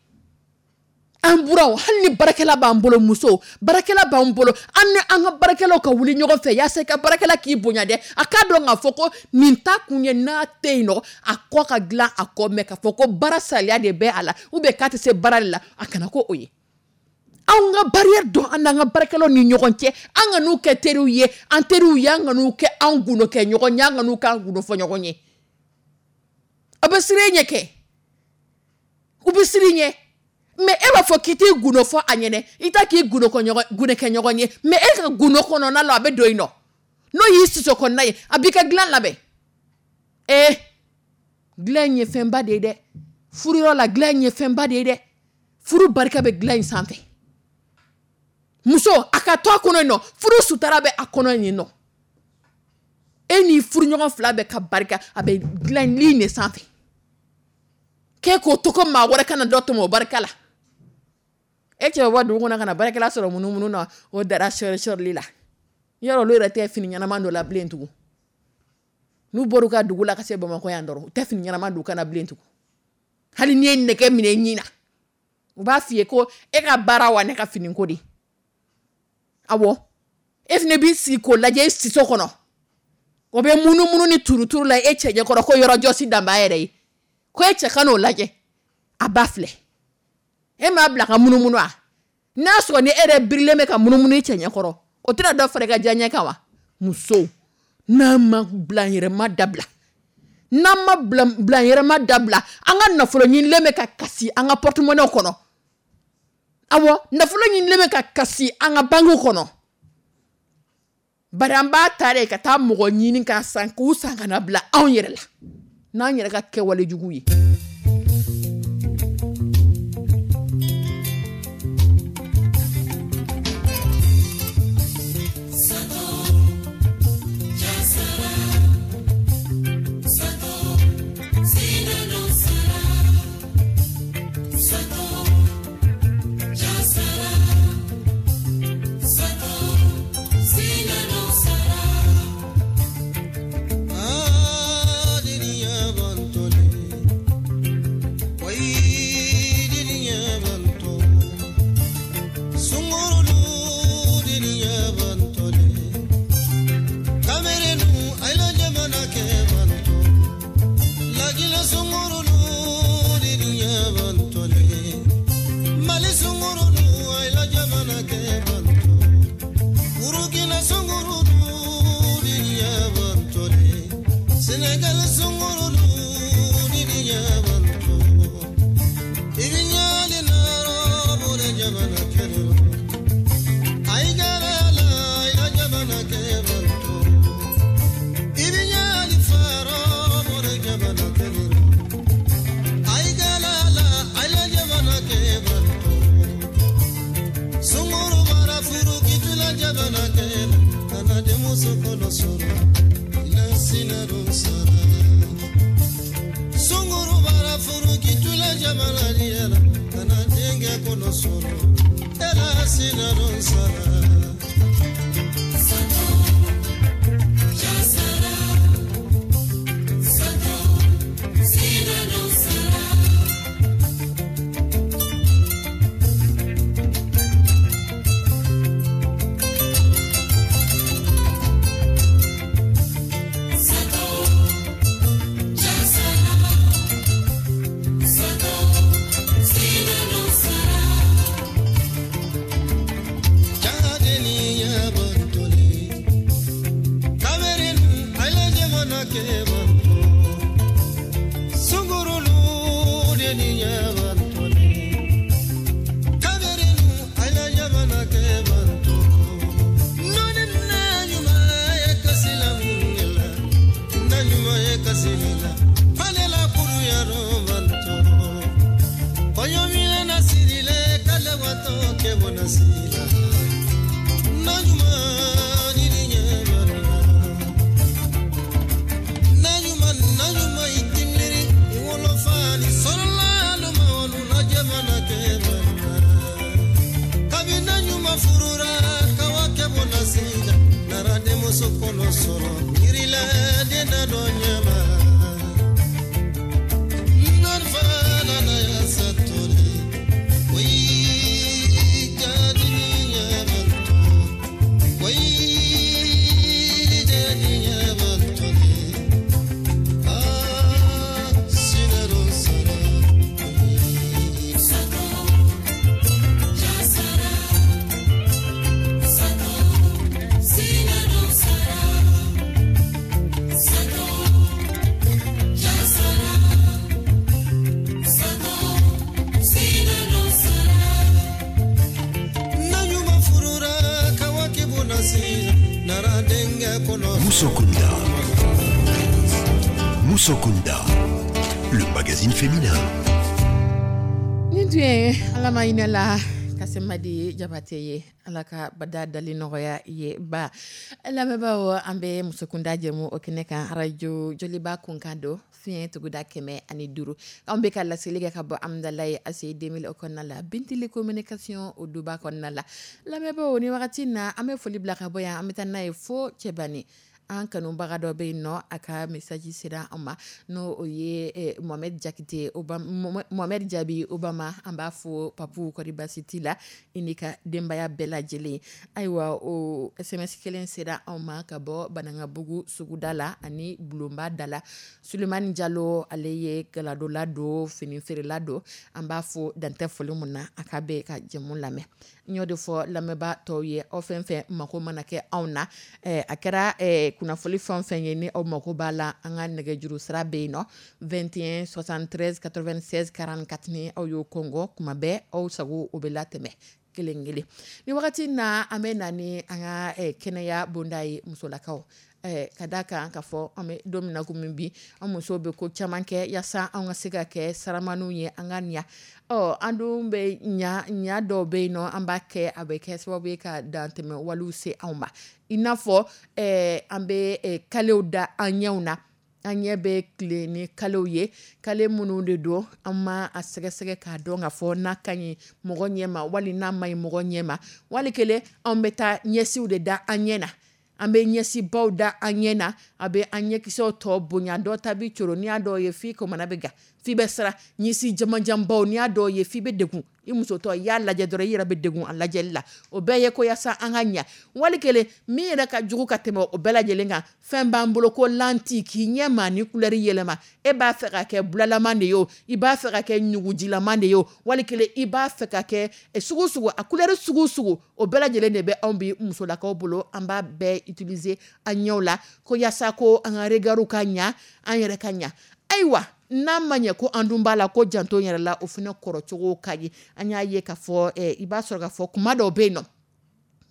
An buranw, hali ni baarakɛla b'an bolo, musow, baarakɛla b'an bolo, an ni an ka baarakɛlaw ka wuli ɲɔgɔn fɛ yaasa i ka baarakɛla k'i bonya dɛ. A k'a dɔn k'a fɔ ko nin ta kun ye n'a tɛ yen nɔ, a kɔ ka dilan a kɔ, mais k'a fɔ ko baara saliya de bɛ a la ou bien k'a tɛ se baara de la, a kana ko o ye. Anw ka barrière dɔn an n'an ka baarakɛlaw ni ɲɔgɔn cɛ. An ka n'u kɛ teriw ye, an teriw ye, an ka n'u kɛ an gundo kɛ ɲɔgɔn ye, an ka n'u k'an gundo fɔ ɲɔgɔn ye. A bɛ siran e ɲɛ kɛ, u bɛ siran i ɲɛ. Mais e b'a fɔ k'i t'i gundo fɔ a ɲɛnɛ, i t'a k'i gundo kɛ ɲɔgɔn ye, mais e ka gundo kɔnɔna la, a bɛ don yen nɔ, n'o y'i siso kɔnɔna ye, a b'i ka dilan labɛn. Ee, dilan in ye fɛnba de ye dɛ. Furuyɔrɔ la, dilan in ye fɛnba de ye dɛ. Furu barika bɛ dilan in sanfɛ. Muso, a ka to a kɔnɔ yen nɔ, furu sutara bɛ a kɔnɔ yen nɔ. E ni furuɲɔgɔn fila bɛ ka barika, a bɛ dilan lin de sanfɛ. K'e k'o to ko maa wɛrɛ kana dɔ tɔmɔ o barika la. E cɛ bɛ bɔ dugu kɔnɔ ka na baarakɛla sɔrɔ munumunu na, o dara sɔri sɔrili la. Yɔrɔ olu yɛrɛ tɛ fini ɲɛnama dɔ la bilen tugun. N'u bɔr'u ka dugu la ka se Bamakɔ yan dɔrɔn, u tɛ fini ɲɛnama don u kana bilen tugun. Hali n'i ye nɛgɛ minɛ i ɲin na, u b'a f'i ye ko e ka baara wa ne ka fini ko de. Awɔ, e fana b'i sigi k'o lajɛ i siso kɔnɔ, o bɛ munumunu ni turuturu la e cɛ ɲɛkɔrɔ, ko yɔrɔ jɔsi dan b'a yɛrɛ ye, ko e cɛ ka n'o lajɛ. A ba filɛ, e m'a bila ka munumunu wa? N'a sɔrɔ ni e yɛrɛ birilen bɛ ka munumunu i cɛ ɲɛkɔrɔ, o tɛna dɔ fara i ka diyaɲɛ kan wa? Musow, n'an ma bilanyɛrɛma dabila, n'an ma bilanyɛrɛma dabila, an ka nafolo ɲinilen bɛ ka kasi an ka porte-monnaie kɔnɔ. Awɔ, nafolo ɲinilen bɛ ka kasi an ka banque kɔnɔ. Bari an b'a ta de ka taa mɔgɔ ɲini ka san, k'u san ka na bila anw yɛrɛ la n'an yɛrɛ ka kɛwale jugu ye. Musokunda. Musokunda, le magazine féminin. Nin tun ye Ala ma hinɛ la Kasemadi Jabate ye, Ala ka bada dali nɔgɔya ye ba. Lamɛnbaaw, an bɛ Musokunda jɛmu o kɛnɛ kan, radio Joliba kunkan don, fiɲɛ tuguda 105. Anw bɛ ka laseli kɛ ka bɔ Amidalayi ACI 2000 o kɔnɔna la, Bintili communication o duba kɔnɔna la. Lamɛnbaaw, ni wagati in na an bɛ foli bila ka bɔ yan, an bɛ taa n'a ye fo Cɛbani. An kanubaga dɔ bɛ yen nɔ, a ka message sera an ma, n'o o ye Mohamed Jakite Mohamed Jabi Obama. An b'a fɔ Papu, kɔri basi t'i la, i n'i ka denbaya bɛɛ lajɛlen? Ayiwa, o SMS kelen sera anw ma ka bɔ Banankabugu suguda la ani Bulonba da la. Sulemani Jalo, ale ye gadola don, fini feerela don. An b'a fɔ dantɛ foli min na, a ka bɛ ka jɛmu lamɛn. N y'o de fɔ lamɛnbaa tɔw ye, aw fɛn fɛn mako mana kɛ anw na, a kɛra kunnafoni fɛn fɛn ye, ni aw mako b'a la, an ka nɛgɛjuru sira bɛ yen nɔ, 21 73 96 44. Ni aw y'o kɔngɔ kuma bɛɛ, aw sago o bɛ latɛmɛ kelen kelen. Ni wagati na, an bɛ na ni an ka kɛnɛya bonda ye, musolakaw, ka da kan ka fɔ an bɛ don min na komi bi, an musow bɛ ko caman kɛ yaasa an ka se ka kɛ saramaniw ye, an ka ɲa. Ɔ, an dun bɛ ɲa ɲa dɔw bɛ yen nɔ, an b'a kɛ, a bɛ kɛ sababu ye ka dantɛmɛ walew se anw ma. I n'a fɔ an bɛ kalew da an ɲɛw na, an ɲɛ bɛ tile ni kalew ye, kale minnu de don, an ma a sɛgɛsɛgɛ k'a dɔn ka fɔ n'a ka ɲi mɔgɔ ɲɛ ma wali n'a ma ɲi mɔgɔ ɲɛ ma. Wali kelen, anw bɛ taa ɲɛsiw de da an ɲɛ na, an bɛ ɲɛsibaw da an ɲɛ na, a bɛ an ɲɛkisɛw tɔ bonya. Dɔ ta bɛ coro, n'i y'a dɔw ye, f'i kamana bɛ gan, f'i bɛ siran. Ɲɛsi jamanjanbaw, n'i y'a dɔw ye, f'i bɛ degun. I musotɔ, i y'a lajɛ dɔrɔn, i yɛrɛ bɛ degun a lajɛli la. O bɛɛ ye ko yaasa an ka ɲa. Wali kelen, min yɛrɛ ka jugu ka tɛmɛ o bɛɛ lajɛlen kan, fɛn b'an bolo ko lentille, k'i ɲɛ maa ni couleur yɛlɛma. E b'a fɛ ka kɛ bulalaman de ye o, i b'a fɛ ka kɛ ɲugujilama de ye o, wali kelen i b'a fɛ ka kɛ sugu sugu, a couleur sugu sugu, o bɛɛ lajɛlen de bɛ anw bi musolakaw bolo. An b'a bɛɛ utiliser an ɲɛw la ko yaasa ko an ka regard ka ɲa, an yɛrɛ ka ɲa. Ayiwa, n'a ma ɲɛ ko an dun b'a la ko janto yɛrɛ la, o fana kɔrɔcogo ka ɲi. An y'a ye k'a fɔ i b'a sɔrɔ k'a fɔ kuma dɔw bɛ yen nɔ,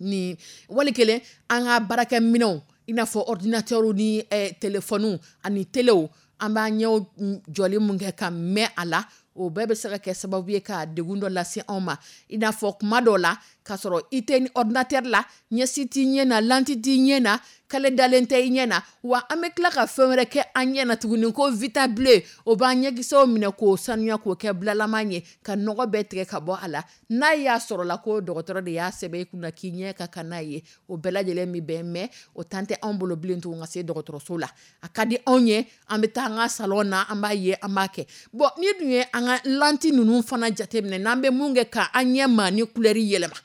ni wali kelen an ka baarakɛminɛnw, i n'a fɔ ordinateur ni téléphone ani telew, an b'an ɲɛw jɔli mun kɛ ka mɛn a la, o bɛɛ bɛ se ka kɛ sababu ye ka degun dɔ lase anw ma. I n'a fɔ kuma dɔw la, k'a sɔrɔ i tɛ ni ordinateur la, ɲɛsi t'i ɲɛ na, lentille t'i ɲɛ na, kale dalen tɛ i ɲɛ na. Wa an bɛ tila ka fɛn wɛrɛ kɛ an ɲɛ na tuguni ko Vita bleu, o b'an ɲɛkisɛw minɛ k'o sanuya, k'o kɛ bulalama ye, ka nɔgɔ bɛɛ tigɛ ka bɔ a la. N'a y'a sɔrɔ la ko dɔgɔtɔrɔ de y'a sɛbɛn i kunna k'i ɲɛ ka kan n'a ye, o bɛɛ lajɛlen min bɛn mɛ, o tan tɛ anw bolo bilen tuguni ka se dɔgɔtɔrɔso la. A ka di anw ye, an bɛ taa an ka salon na, an b'a ye, an b'a kɛ. Bon, ni dun ye an ka lentille ninnu fana jateminɛ, n'an bɛ mun kɛ ka an ɲɛ maa ni couleur yɛlɛma,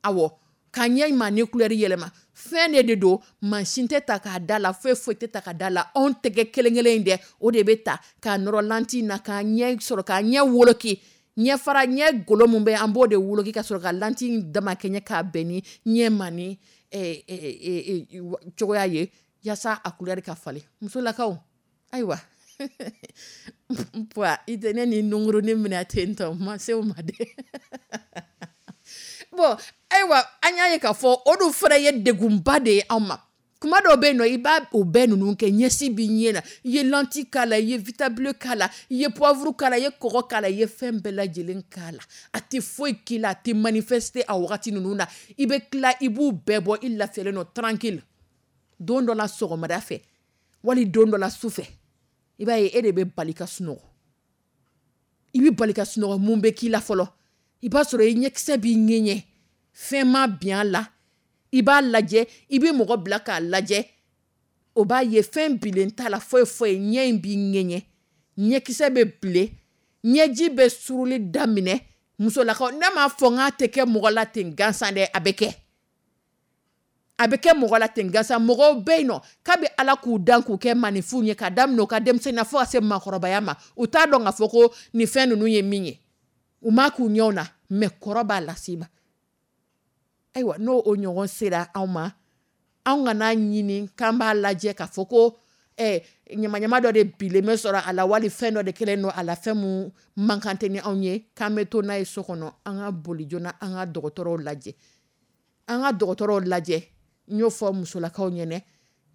awɔ, ka ɲɛ maa ni couleur yɛlɛma, fɛn de don, mansin tɛ ta k'a da la, foyi foyi tɛ ta ka da la. Anw tɛgɛ kelen kelen in dɛ, o de bɛ ta k'a nɔrɔ lentille na, k'a ɲɛ sɔrɔ, k'a ɲɛ woloki, ɲɛ fara ɲɛ golo mun bɛ, an b'o de woloki ka sɔrɔ ka lentille damakɛɲɛ k'a bɛn ni ɲɛ ma ni cogoya ye, yaasa a couleur ka falen. Musolakaw, ayiwa, i tɛ ne ni nunkurunin minɛ ten tɔ, ma se o ma dɛ. Bon, ayiwa, an y'a ye k'a fɔ o dun fana ye degunba de ye anw ma. Kuma dɔw bɛ yen nɔ, i b'a o bɛɛ ninnu kɛ, ɲɛsi b'i ɲɛ na, i ye lentille k'a la, i ye Vita bleu k'a la, i ye poivre k'a la, i ye kɔgɔ k'a la, i ye fɛn bɛɛ lajɛlen k'a la, a tɛ foyi k'i la, a tɛ manifester a wagati ninnu na. I bɛ tila, i b'u bɛɛ bɔ, i lafiyalen don tranquille. Don dɔ la sɔgɔmada fɛ, wali don dɔ la su fɛ, i b'a ye e de bɛ bali ka sunɔgɔ. I bɛ bali ka sunɔgɔ, mun bɛ k'i la fɔlɔ? I b'a sɔrɔ i ɲɛkisɛ b'i ŋɛɲɛ, fɛn ma bin a la. I b'a lajɛ, i bɛ mɔgɔ bila k'a lajɛ, o b'a ye fɛn bilen t'a la, foyi foyi. Ɲɛ in b'i ŋɛɲɛ, ɲɛkisɛ bɛ bilen, ɲɛji bɛ suruli daminɛ. Musolakaw, ne m'a fɔ n k'a tɛ kɛ mɔgɔ la ten gansan dɛ, a bɛ kɛ, a bɛ kɛ mɔgɔ la ten gansan. Mɔgɔw bɛ yen nɔ, kabi Ala k'u dan k'u kɛ maninfinw ye, ka daminɛ u ka denmisɛnninya fo ka se maakɔrɔbaya ma, u t'a dɔn k'a fɔ ko nin fɛn ninnu ye min ye, u m'a k'u ɲɛw na, mɛ kɔrɔ b'a lase i ma. Ayiwa, n'o o ɲɔgɔn sera anw ma, anw kana ɲini k'an b'a lajɛ k'a fɔ ko ɲamaɲama dɔ de bilen bɛ sɔrɔ a la, wali fɛn dɔ de kɛlen don a la, fɛn mun man kan tɛ ni anw ye, k'an bɛ to n'a ye so kɔnɔ. An ka boli joona, an ka dɔgɔtɔrɔw lajɛ, an ka dɔgɔtɔrɔw lajɛ. N y'o fɔ musolakaw ɲɛnɛ,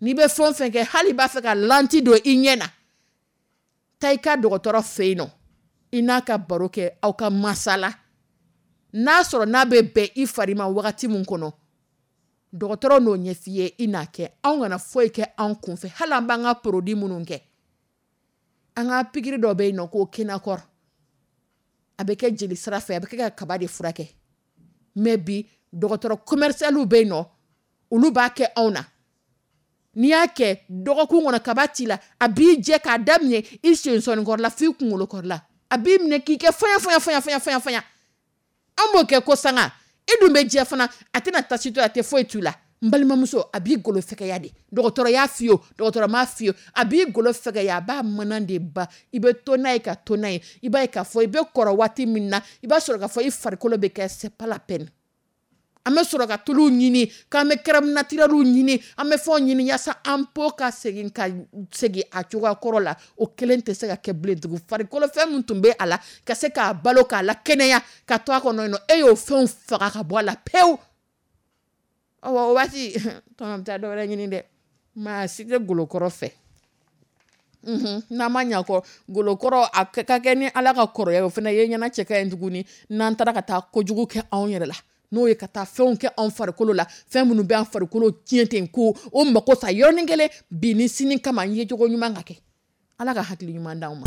n'i bɛ fɛn o fɛn kɛ, hali b'a fɛ ka lentille don i ɲɛ na, taa i ka dɔgɔtɔrɔ fɛ yen nɔ, i n'a ka baro kɛ, aw ka masala. N'a sɔrɔ n'a bɛ bɛn i fari ma wagati min kɔnɔ, dɔgɔtɔrɔ n'o ɲɛf'i ye, i n'a kɛ. Anw kana foyi kɛ anw kunfɛ. Hali an b'an ka produit minnu kɛ, an ka pikiri dɔ bɛ yen nɔ ko Kenakɔr, a bɛ kɛ jeli sira fɛ, a bɛ kɛ ka kaba de furakɛ. Mɛ bi dɔgɔtɔrɔ commercial bɛ yen nɔ, olu b'a kɛ anw na. N'i y'a kɛ dɔgɔkun kɔnɔ kaba t'i la, a b'i jɛ k'a daminɛ i sensɔnikɔrɔla f'i kunkolokɔrɔla, a b'i minɛ k'i kɛ faya faya faya faya faya faya. An b'o kɛ ko sanga, e dun bɛ jɛ fana, a tɛna tasi to a tɛ foyi t'u la. N balimamuso, a b'i golo fɛgɛya de, dɔgɔtɔrɔ y'a f'i ye o, dɔgɔtɔrɔ m'a f'i ye, a b'i golo fɛgɛya, a b'a mana de ba, i bɛ to n'a ye ka to n'a ye, i b'a ye k'a fɔ i bɛ kɔrɔ waati min na, i b'a sɔrɔ k'a fɔ i farikolo bɛ kɛ c'est pas la peine. An bɛ sɔrɔ ka tuluw ɲini, k'an bɛ crème naturelle ɲini, an bɛ fɛnw ɲini yaasa an peau ka segin ka segin a cogoya kɔrɔ la, o kelen tɛ se ka kɛ bilen tugun. Farikolo fɛn min tun bɛ a la ka se k'a balo k'a la kɛnɛya ka to a kɔnɔ yen nɔ, e y'o fɛnw faga ka bɔ a la pewu. Ɔwɔ, o waati tɔnɔ bɛ taa dɔ wɛrɛ ɲini dɛ, maa si tɛ golokɔrɔ fɛ. N'an ma ɲa kɔ golokɔrɔ a ka kɛ ni Ala ka kɔrɔya o fana ye ɲɛna cɛ ka ɲi tuguni, n'an taara ka taa kojugu kɛ anw yɛrɛ la, n'o ye ka taa fɛnw kɛ anw farikolo la, fɛn minnu bɛ an farikolo tiɲɛ ten ko o mako sa yɔrɔnin kelen bi ni sini kama n ye cogo ɲuman ka kɛ. Ala ka hakili ɲuman d'anw ma.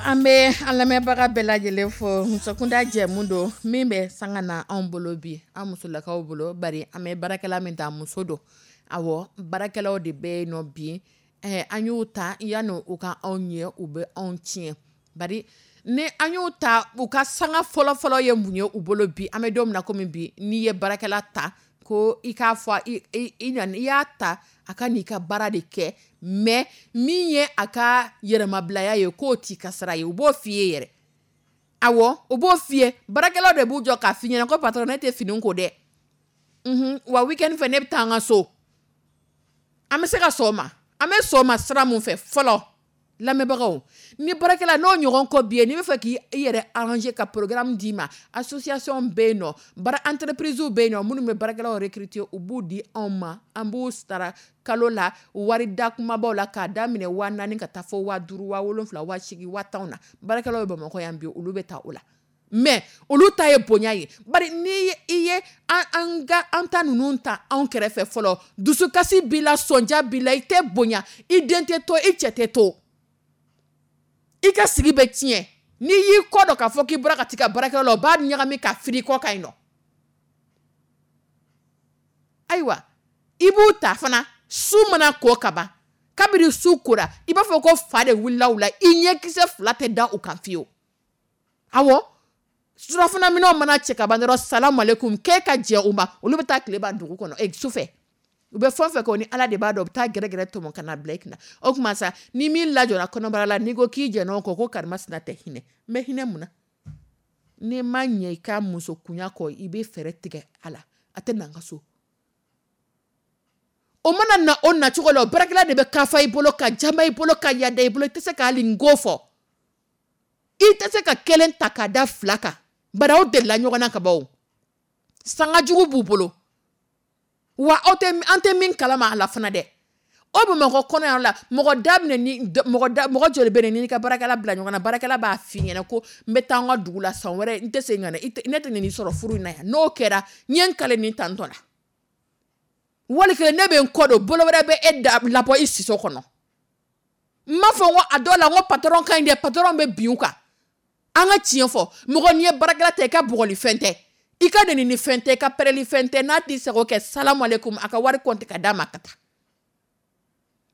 An bɛ an lamɛnbaga bɛɛ lajɛlen fo. Musokunda jɛmu don min bɛ sanga na anw bolo bi, an musolakaw bolo, bari an bɛ baarakɛla min ta muso don. Awɔ, baarakɛlaw de bɛ yen nɔ bi, an y'u ta yanni u ka anw ɲɛ, u bɛ anw tiɲɛ. Bari ni an y'u ta, u ka sanga fɔlɔfɔlɔ ye mun ye u bolo bi, an bɛ don min na komi bi, n'i ye baarakɛla ta ko i k'a fɔ i y'a ta a ka n'i ka baara de kɛ, mais min ye a ka yɛrɛmabilaya ye k'o t'i ka sara ye, u b'o f'i ye yɛrɛ. Awɔ, u b'o f'i ye, baarakɛlaw de b'u jɔ k'a f'i ɲɛna ko patron ne tɛ fini ko dɛ. Wa week-end fɛ ne bɛ taa n ka so. An bɛ se ka sɔn o ma, an bɛ sɔn o ma sira mun fɛ fɔlɔ, lamɛnbagaw, ni baarakɛla n'o ɲɔgɔn ko b'i ye, n'i bɛ fɛ k'i yɛrɛ arranger ka programme d'i ma, association bɛ yen nɔ, baara entreprise bɛ yen nɔ minnu bɛ baarakɛlaw recruter, u b'u di anw ma, an b'u sara kalo la wari da kumabaw la k'a daminɛ 4000 ka taa fɔ 5000, 7000, 8000, 10000 na. Baarakɛlaw bɛ Bamakɔ yan bi, olu bɛ taa o la. Mais olu ta ye bonya ye, bari ni i ye an ka an ta ninnu ta anw kɛrɛfɛ fɔlɔ, dusukasi b'i la, sɔnja b'i la, i tɛ bonya, i den tɛ to, i cɛ tɛ to, i ka sigi bɛ tiɲɛ. N'i y'i kɔ dɔn k'a fɔ k'i bɔra ka t'i ka baarakɛyɔrɔ la, u b'a ɲagami ka firi i kɔ kan yen nɔ. Ayiwa, i b'u ta fana, su mana ko ka ban, kabini su kora, i b'a fɔ ko fa de wulila u la, i ɲɛkisɛ fila tɛ da u kan fiyewu. Awɔ, surafana minɛnw mana cɛ ka ban dɔrɔn, salamu aleykum, k'e ka jɛ u ma, olu bɛ taa tile ban dugu kɔnɔ, sufɛ. U bɛ fɛn fɛn kɛ o ni Ala de b'a dɔn, u bɛ taa gɛrɛgɛrɛ tɔmɔ ka na bila i kunna. O tuma sa, ni min lajɔra kɔnɔbara la, n'i ko k'i jɛnna o kɔ, ko karimasina tɛ hinɛ. N bɛ hinɛ mun na? N'i ma ɲɛ i ka musokunya kɔ, i bɛ fɛɛrɛ tigɛ a la, a tɛ na n ka so. O mana na o nacogo la, o baarakɛla de bɛ kafa i bolo, ka jama i bolo, ka yada i bolo. I tɛ se k'ali n ko fɔ, i tɛ se ka kelen ta ka da fila kan, bari aw delila ɲɔgɔn na ka ban. O sanga jugu b'u bolo wa aw tɛ, an tɛ min kalama a la fana dɛ. O Bamakɔ kɔnɔ yan la, mɔgɔ da minɛ ni mɔgɔ da, mɔgɔ joli bɛ yen n'i ka baarakɛla bila ɲɔgɔn na, baarakɛla b'a f'i ɲɛna ko n bɛ taa n ka dugu la san wɛrɛ, n tɛ segin ka na, ne tɛ nin sɔrɔ furu in na yan. N'o kɛra, n ye n kale nin tantɔ la, wali kelen ne bɛ n kɔ don, bolo wɛrɛ bɛ e da labɔ i siso kɔnɔ. N m'a fɔ n ko a dɔw la n ko patɔrɔn ka ɲi dɛ, patɔrɔn bɛ bin u kan. An ka tiɲɛ fɔ, mɔgɔ n'i ye baarakɛla ta, i ka bugɔli fɛn tɛ, i ka nɛni ni fɛn tɛ, i ka pɛrɛli fɛn tɛ. N'a t'i sago kɛ, salamu aleykum, a ka wari kɔnti ka d'a ma ka taa.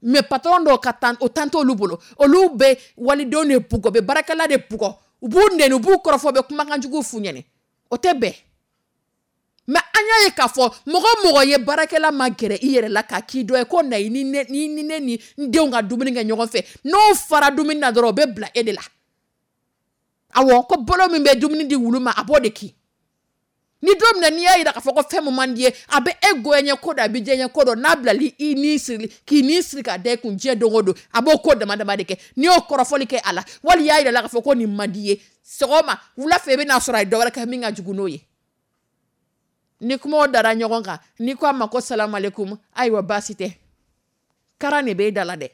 Mais patɔrɔn dɔw ka tan, o tan t'olu bolo, olu bɛ walidenw de bugɔ, bɛ baarakɛla de bugɔ, u b'u nɛni, u b'u kɔrɔfɔ, u bɛ kumakan juguw f'u ɲɛnɛ. O tɛ bɛn. Mais an y'a ye k'a fɔ mɔgɔ mɔgɔ ye baarakɛla ma gɛrɛ i yɛrɛ la k'a k'i dɔ ye ko na i ni ne ni ne ni n denw ka dumuni kɛ ɲɔgɔn fɛ, n'o fara dumuni na dɔrɔn, o bɛ bila e de la. Awɔ, ko bolo min bɛ dumuni di wulu ma, a b'o de kin. Ni don min na n'i y'a jira k'a fɔ ko fɛn min man di ye, a bɛ e goyanye ko dɔn, a bɛ diyaɲɛ ko dɔn. N'a bilali i ni siri, k'i ni siri k'a da i kun diɲɛ don o don, a b'o ko dama dama de kɛ. N'i y'o kɔrɔfɔli kɛ a la, wali y'a jira la k'a fɔ ko nin man di ye, sɔgɔma wula fɛ i bɛna sɔrɔ a ye dɔ wɛrɛ kɛ min ka jugu n'o ye. Ni kumaw dara ɲɔgɔn kan, n'i ko a ma ko salamu aleykum, ayiwa baasi tɛ, karan de b'e da la dɛ.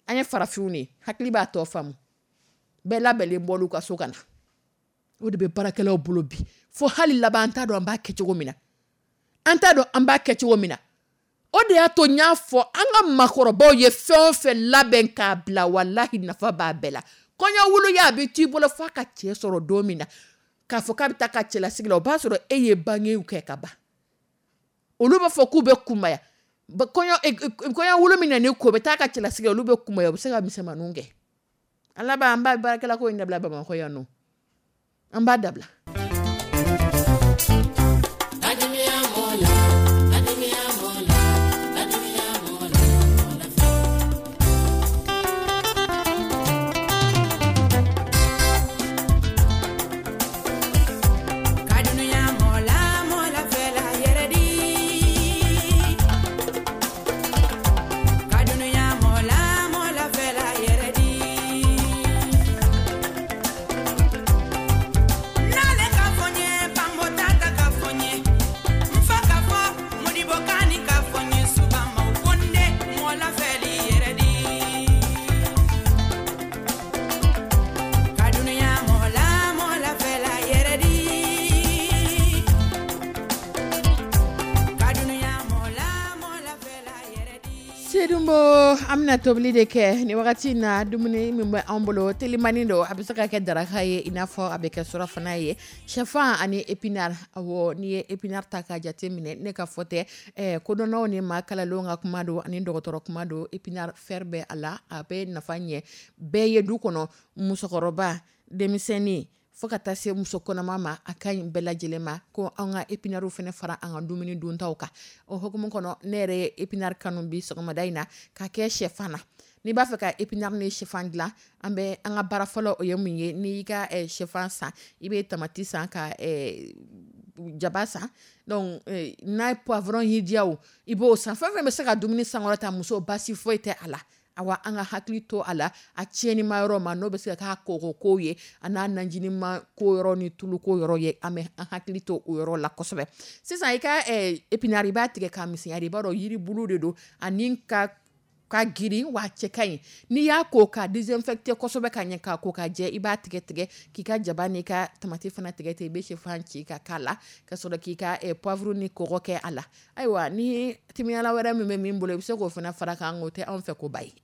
An ye farafinw de ye, hakili b'a tɔ faamu. Bɛɛ labɛnlen bɔl'u ka so ka na. O de bɛ baarakɛlaw bolo bi, fo hali laban an t'a dɔn an b'a kɛ cogo min na, an t'a dɔn an b'a kɛ cogo min na. O de y'a to n y'a fɔ an ka maakɔrɔbaw ye fɛn o fɛn labɛn k'a bila, walahi nafa b'a bɛɛ la. Kɔɲɔ wuluya a bɛ t'i bolo f'a ka cɛ sɔrɔ don min na, k'a fɔ k'a bɛ taa ka cɛlasigi la, o b'a sɔrɔ e ye bangew kɛ ka ban. Olu b'a fɔ k'u bɛ kunbaya. Kɔɲɔ wulu min na ko bɛ taa ka cɛlasigi la, olu bɛ kunbaya, u bɛ se ka misɛnmaninw kɛ. An laban an b'a baarakɛla ko in dabila Bamakɔ yan nɔ, an b'a dabila. An bɛna tobili de kɛ ni wagati in na. Dumuni min bɛ an bolo telimani don, a bɛ se ka kɛ daraka ye, i n'a fɔ a bɛ kɛ surafana ye, shɛfan ani épinard. Awɔ, n'i ye épinard ta k'a jate minɛ, ne ka fɔ tɛ, kodɔnnaw ni maa kalalenw ka kuma don ani dɔgɔtɔrɔ kuma don. Épinard fer bɛ a la, a bɛ nafa ɲɛ bɛɛ ye du kɔnɔ, musokɔrɔba, denmisɛnnin, fo ka taa se muso kɔnɔma ma, a ka ɲi bɛɛ lajɛlen ma. Ko an ka épinards fana fara an ka dumuni duntaw kan. O hukumu kɔnɔ, ne yɛrɛ ye épinard kanu bi sɔgɔmada in na ka kɛ shɛfan na. N'i b'a fɛ ka épinard ni shɛfan dilan, an bɛ an ka baara fɔlɔ, o ye mun ye? N'i y'i ka shɛfan san, i bɛ tamati san, ka jaba san, donc n'a ye poivron y'i diya o, i b'o san. Fɛn fɛn bɛ se ka dumuni sankɔrɔta, muso baasi foyi tɛ a la. Awa, an ka hakili to a la, a tiɲɛnima yɔrɔ ma, n'o bɛ se ka k'a kɔgɔ ko ye, a n'a najinima ko yɔrɔ ni tulu ko yɔrɔ ye, an bɛ an hakili to o yɔrɔ la kosɛbɛ. Sisan i ka épinard, i b'a tigɛ k'a misɛnya de, i b'a dɔn yiri bulu de don, ani ka girin wa cɛ ka ɲi. N'i y'a ko k'a désinfecter kosɛbɛ ka ɲɛ, k'a ko k'a jɛ, i b'a tigɛ tigɛ k'i ka jaba n'i ka tamati fana tigɛ tigɛ, i bɛ shɛfan ci ka k'a la, ka sɔrɔ k'i ka poivre ni kɔgɔ kɛ a la. Ayiwa, ni timiyala wɛrɛ min bɛ min bolo, i bɛ se k'o fana fara kan, o tɛ anw fɛ ko ba ye.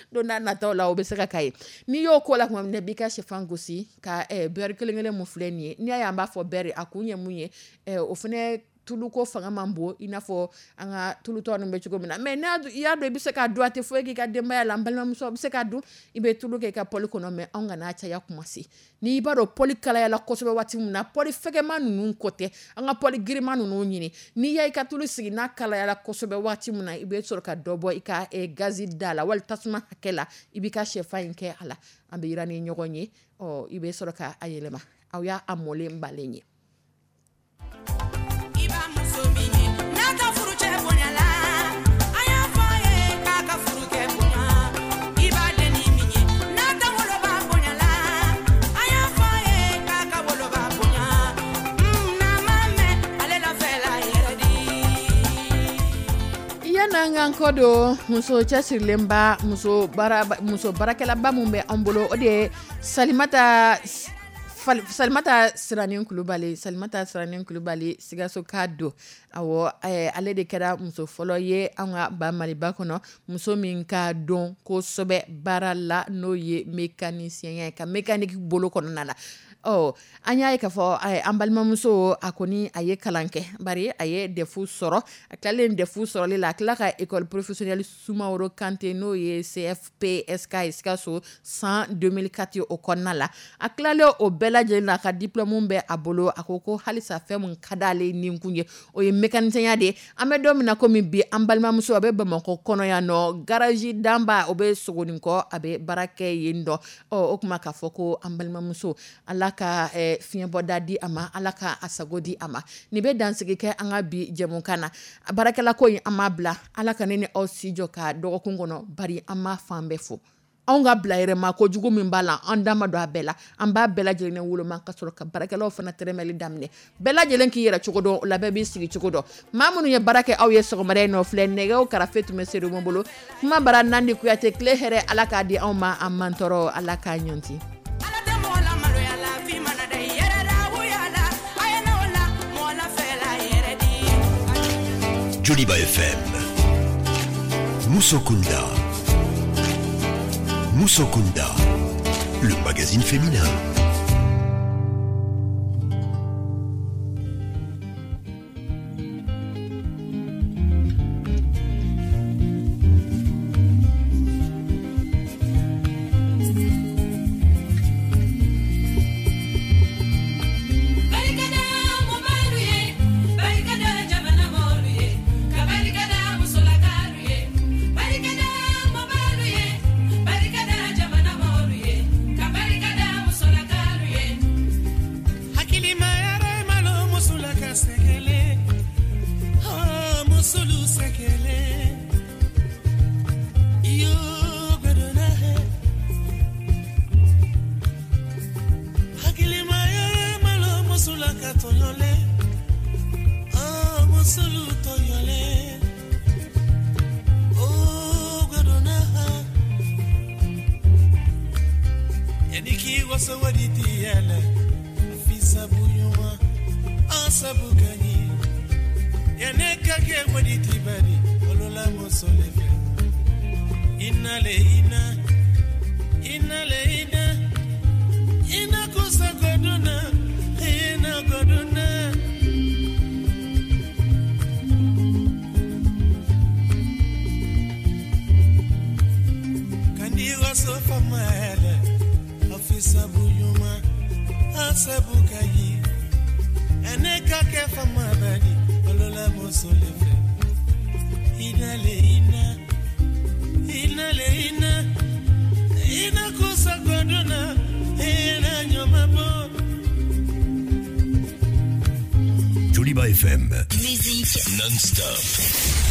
Don n'a nataw la, o bɛ se ka k'a ye. N'i y'o ko la tuma min na, i b'i ka shɛfan gosi ka beurre kelen kelen mun filɛ nin ye. N'i y'a ye an b'a fɔ beurre, a kun ye mun ye, o fana tulu ko fanga man bon i n'a fɔ an ka tulutɔ ninnu bɛ cogo min na. Mais n'a i y'a dɔn i bɛ se k'a dun, a tɛ foyi k'i ka denbaya la, n balimamuso, a bɛ se k'a dun. I bɛ tulu kɛ i ka poêle kɔnɔ, mais anw kana caya kuma se. N'i b'a dɔn poêle kalayala kosɛbɛ waati min na, poêle fɛgɛman ninnu ko tɛ, an ka poêle giriman ninnu ɲini. N'i y'a ka tulu sigi n'a kalayala kosɛbɛ waati min na, i bɛ sɔrɔ ka dɔ bɔ i ka gazi da la wali tasuma hakɛ la, i b'i ka shɛfan in kɛ a la. An bɛ yira ni ɲɔgɔn ye, ɔ i bɛ sɔrɔ k'a yɛlɛma. Aw y'a mɔlen balen ye. I b'a muso min ye n'a ka furu cɛ bonya la. Yan'an k'an kɔ don muso cɛsirilenba, muso baarakɛlaba min bɛ an bolo, o de ye Salimata Siranin Kulubali. Salimata Siranin Kulubali, Sikaso ka don. Awɔ, ale de kɛra muso fɔlɔ ye an ka ba Maliba kɔnɔ, muso min ka dɔn kosɛbɛ baara la, n'o ye mécanicien ye, ka mécanique bolo kɔnɔna la. Ɔ, an y'a ye k'a fɔ an balimamuso, a kɔni a ye kalan kɛ, bari a ye DEF sɔrɔ. A tilalen DEF sɔrɔli la, a tila ka école professionnelle Sumaworo Kante, n'o ye CFPSK ye Sikaso, san 2004 o kɔnɔna la. A tilalen o bɛɛ lajɛlen na, a ka diplôme bɛ a bolo. A ko ko halisa fɛn min ka d'ale ni kun ye, o ye mécanicien de ye. An bɛ don min na komi bi, an balimamuso a bɛ Bamakɔ kɔnɔ yan nɔ, garage Danba, o bɛ Sogonikɔ, a bɛ baara kɛ yen dɔ. Ɔ, o tuma k'a fɔ ko an balimamuso, Ala ka fiɲɛbɔda di a ma, Ala ka a sago di a ma. Nin bɛ dansigi kɛ an ka bi jɛmukan na. A baarakɛla ko in, an m'a bila. Ala ka ne ni aw si jɔ ka dɔgɔkun kɔnɔ, bari an m'a fan bɛɛ fo. Anw ka bila yɛrɛma kojugu min b'a la, an da ma don a bɛɛ la. An b'a bɛɛ lajɛlen woloma ka sɔrɔ ka baarakɛlaw fana tɛrɛmɛli daminɛ. Bɛɛ lajɛlen k'i yɛrɛ cogo dɔn, o la bɛɛ b'i sigi cogo dɔn. Maa minnu ye baara kɛ aw ye sɔgɔmada in nɔ filɛ, nɛgɛw karafe tun bɛ Seydou bolo. Kuma bara Nandi Kuyate, tile hɛrɛ Ala k'a di anw ma, an man tɔɔrɔ Ala k'a ɲɔnti. Joliba FM, Musokunda. Musokunda, le magazine féminin. Joliba FM. Musique non-stop.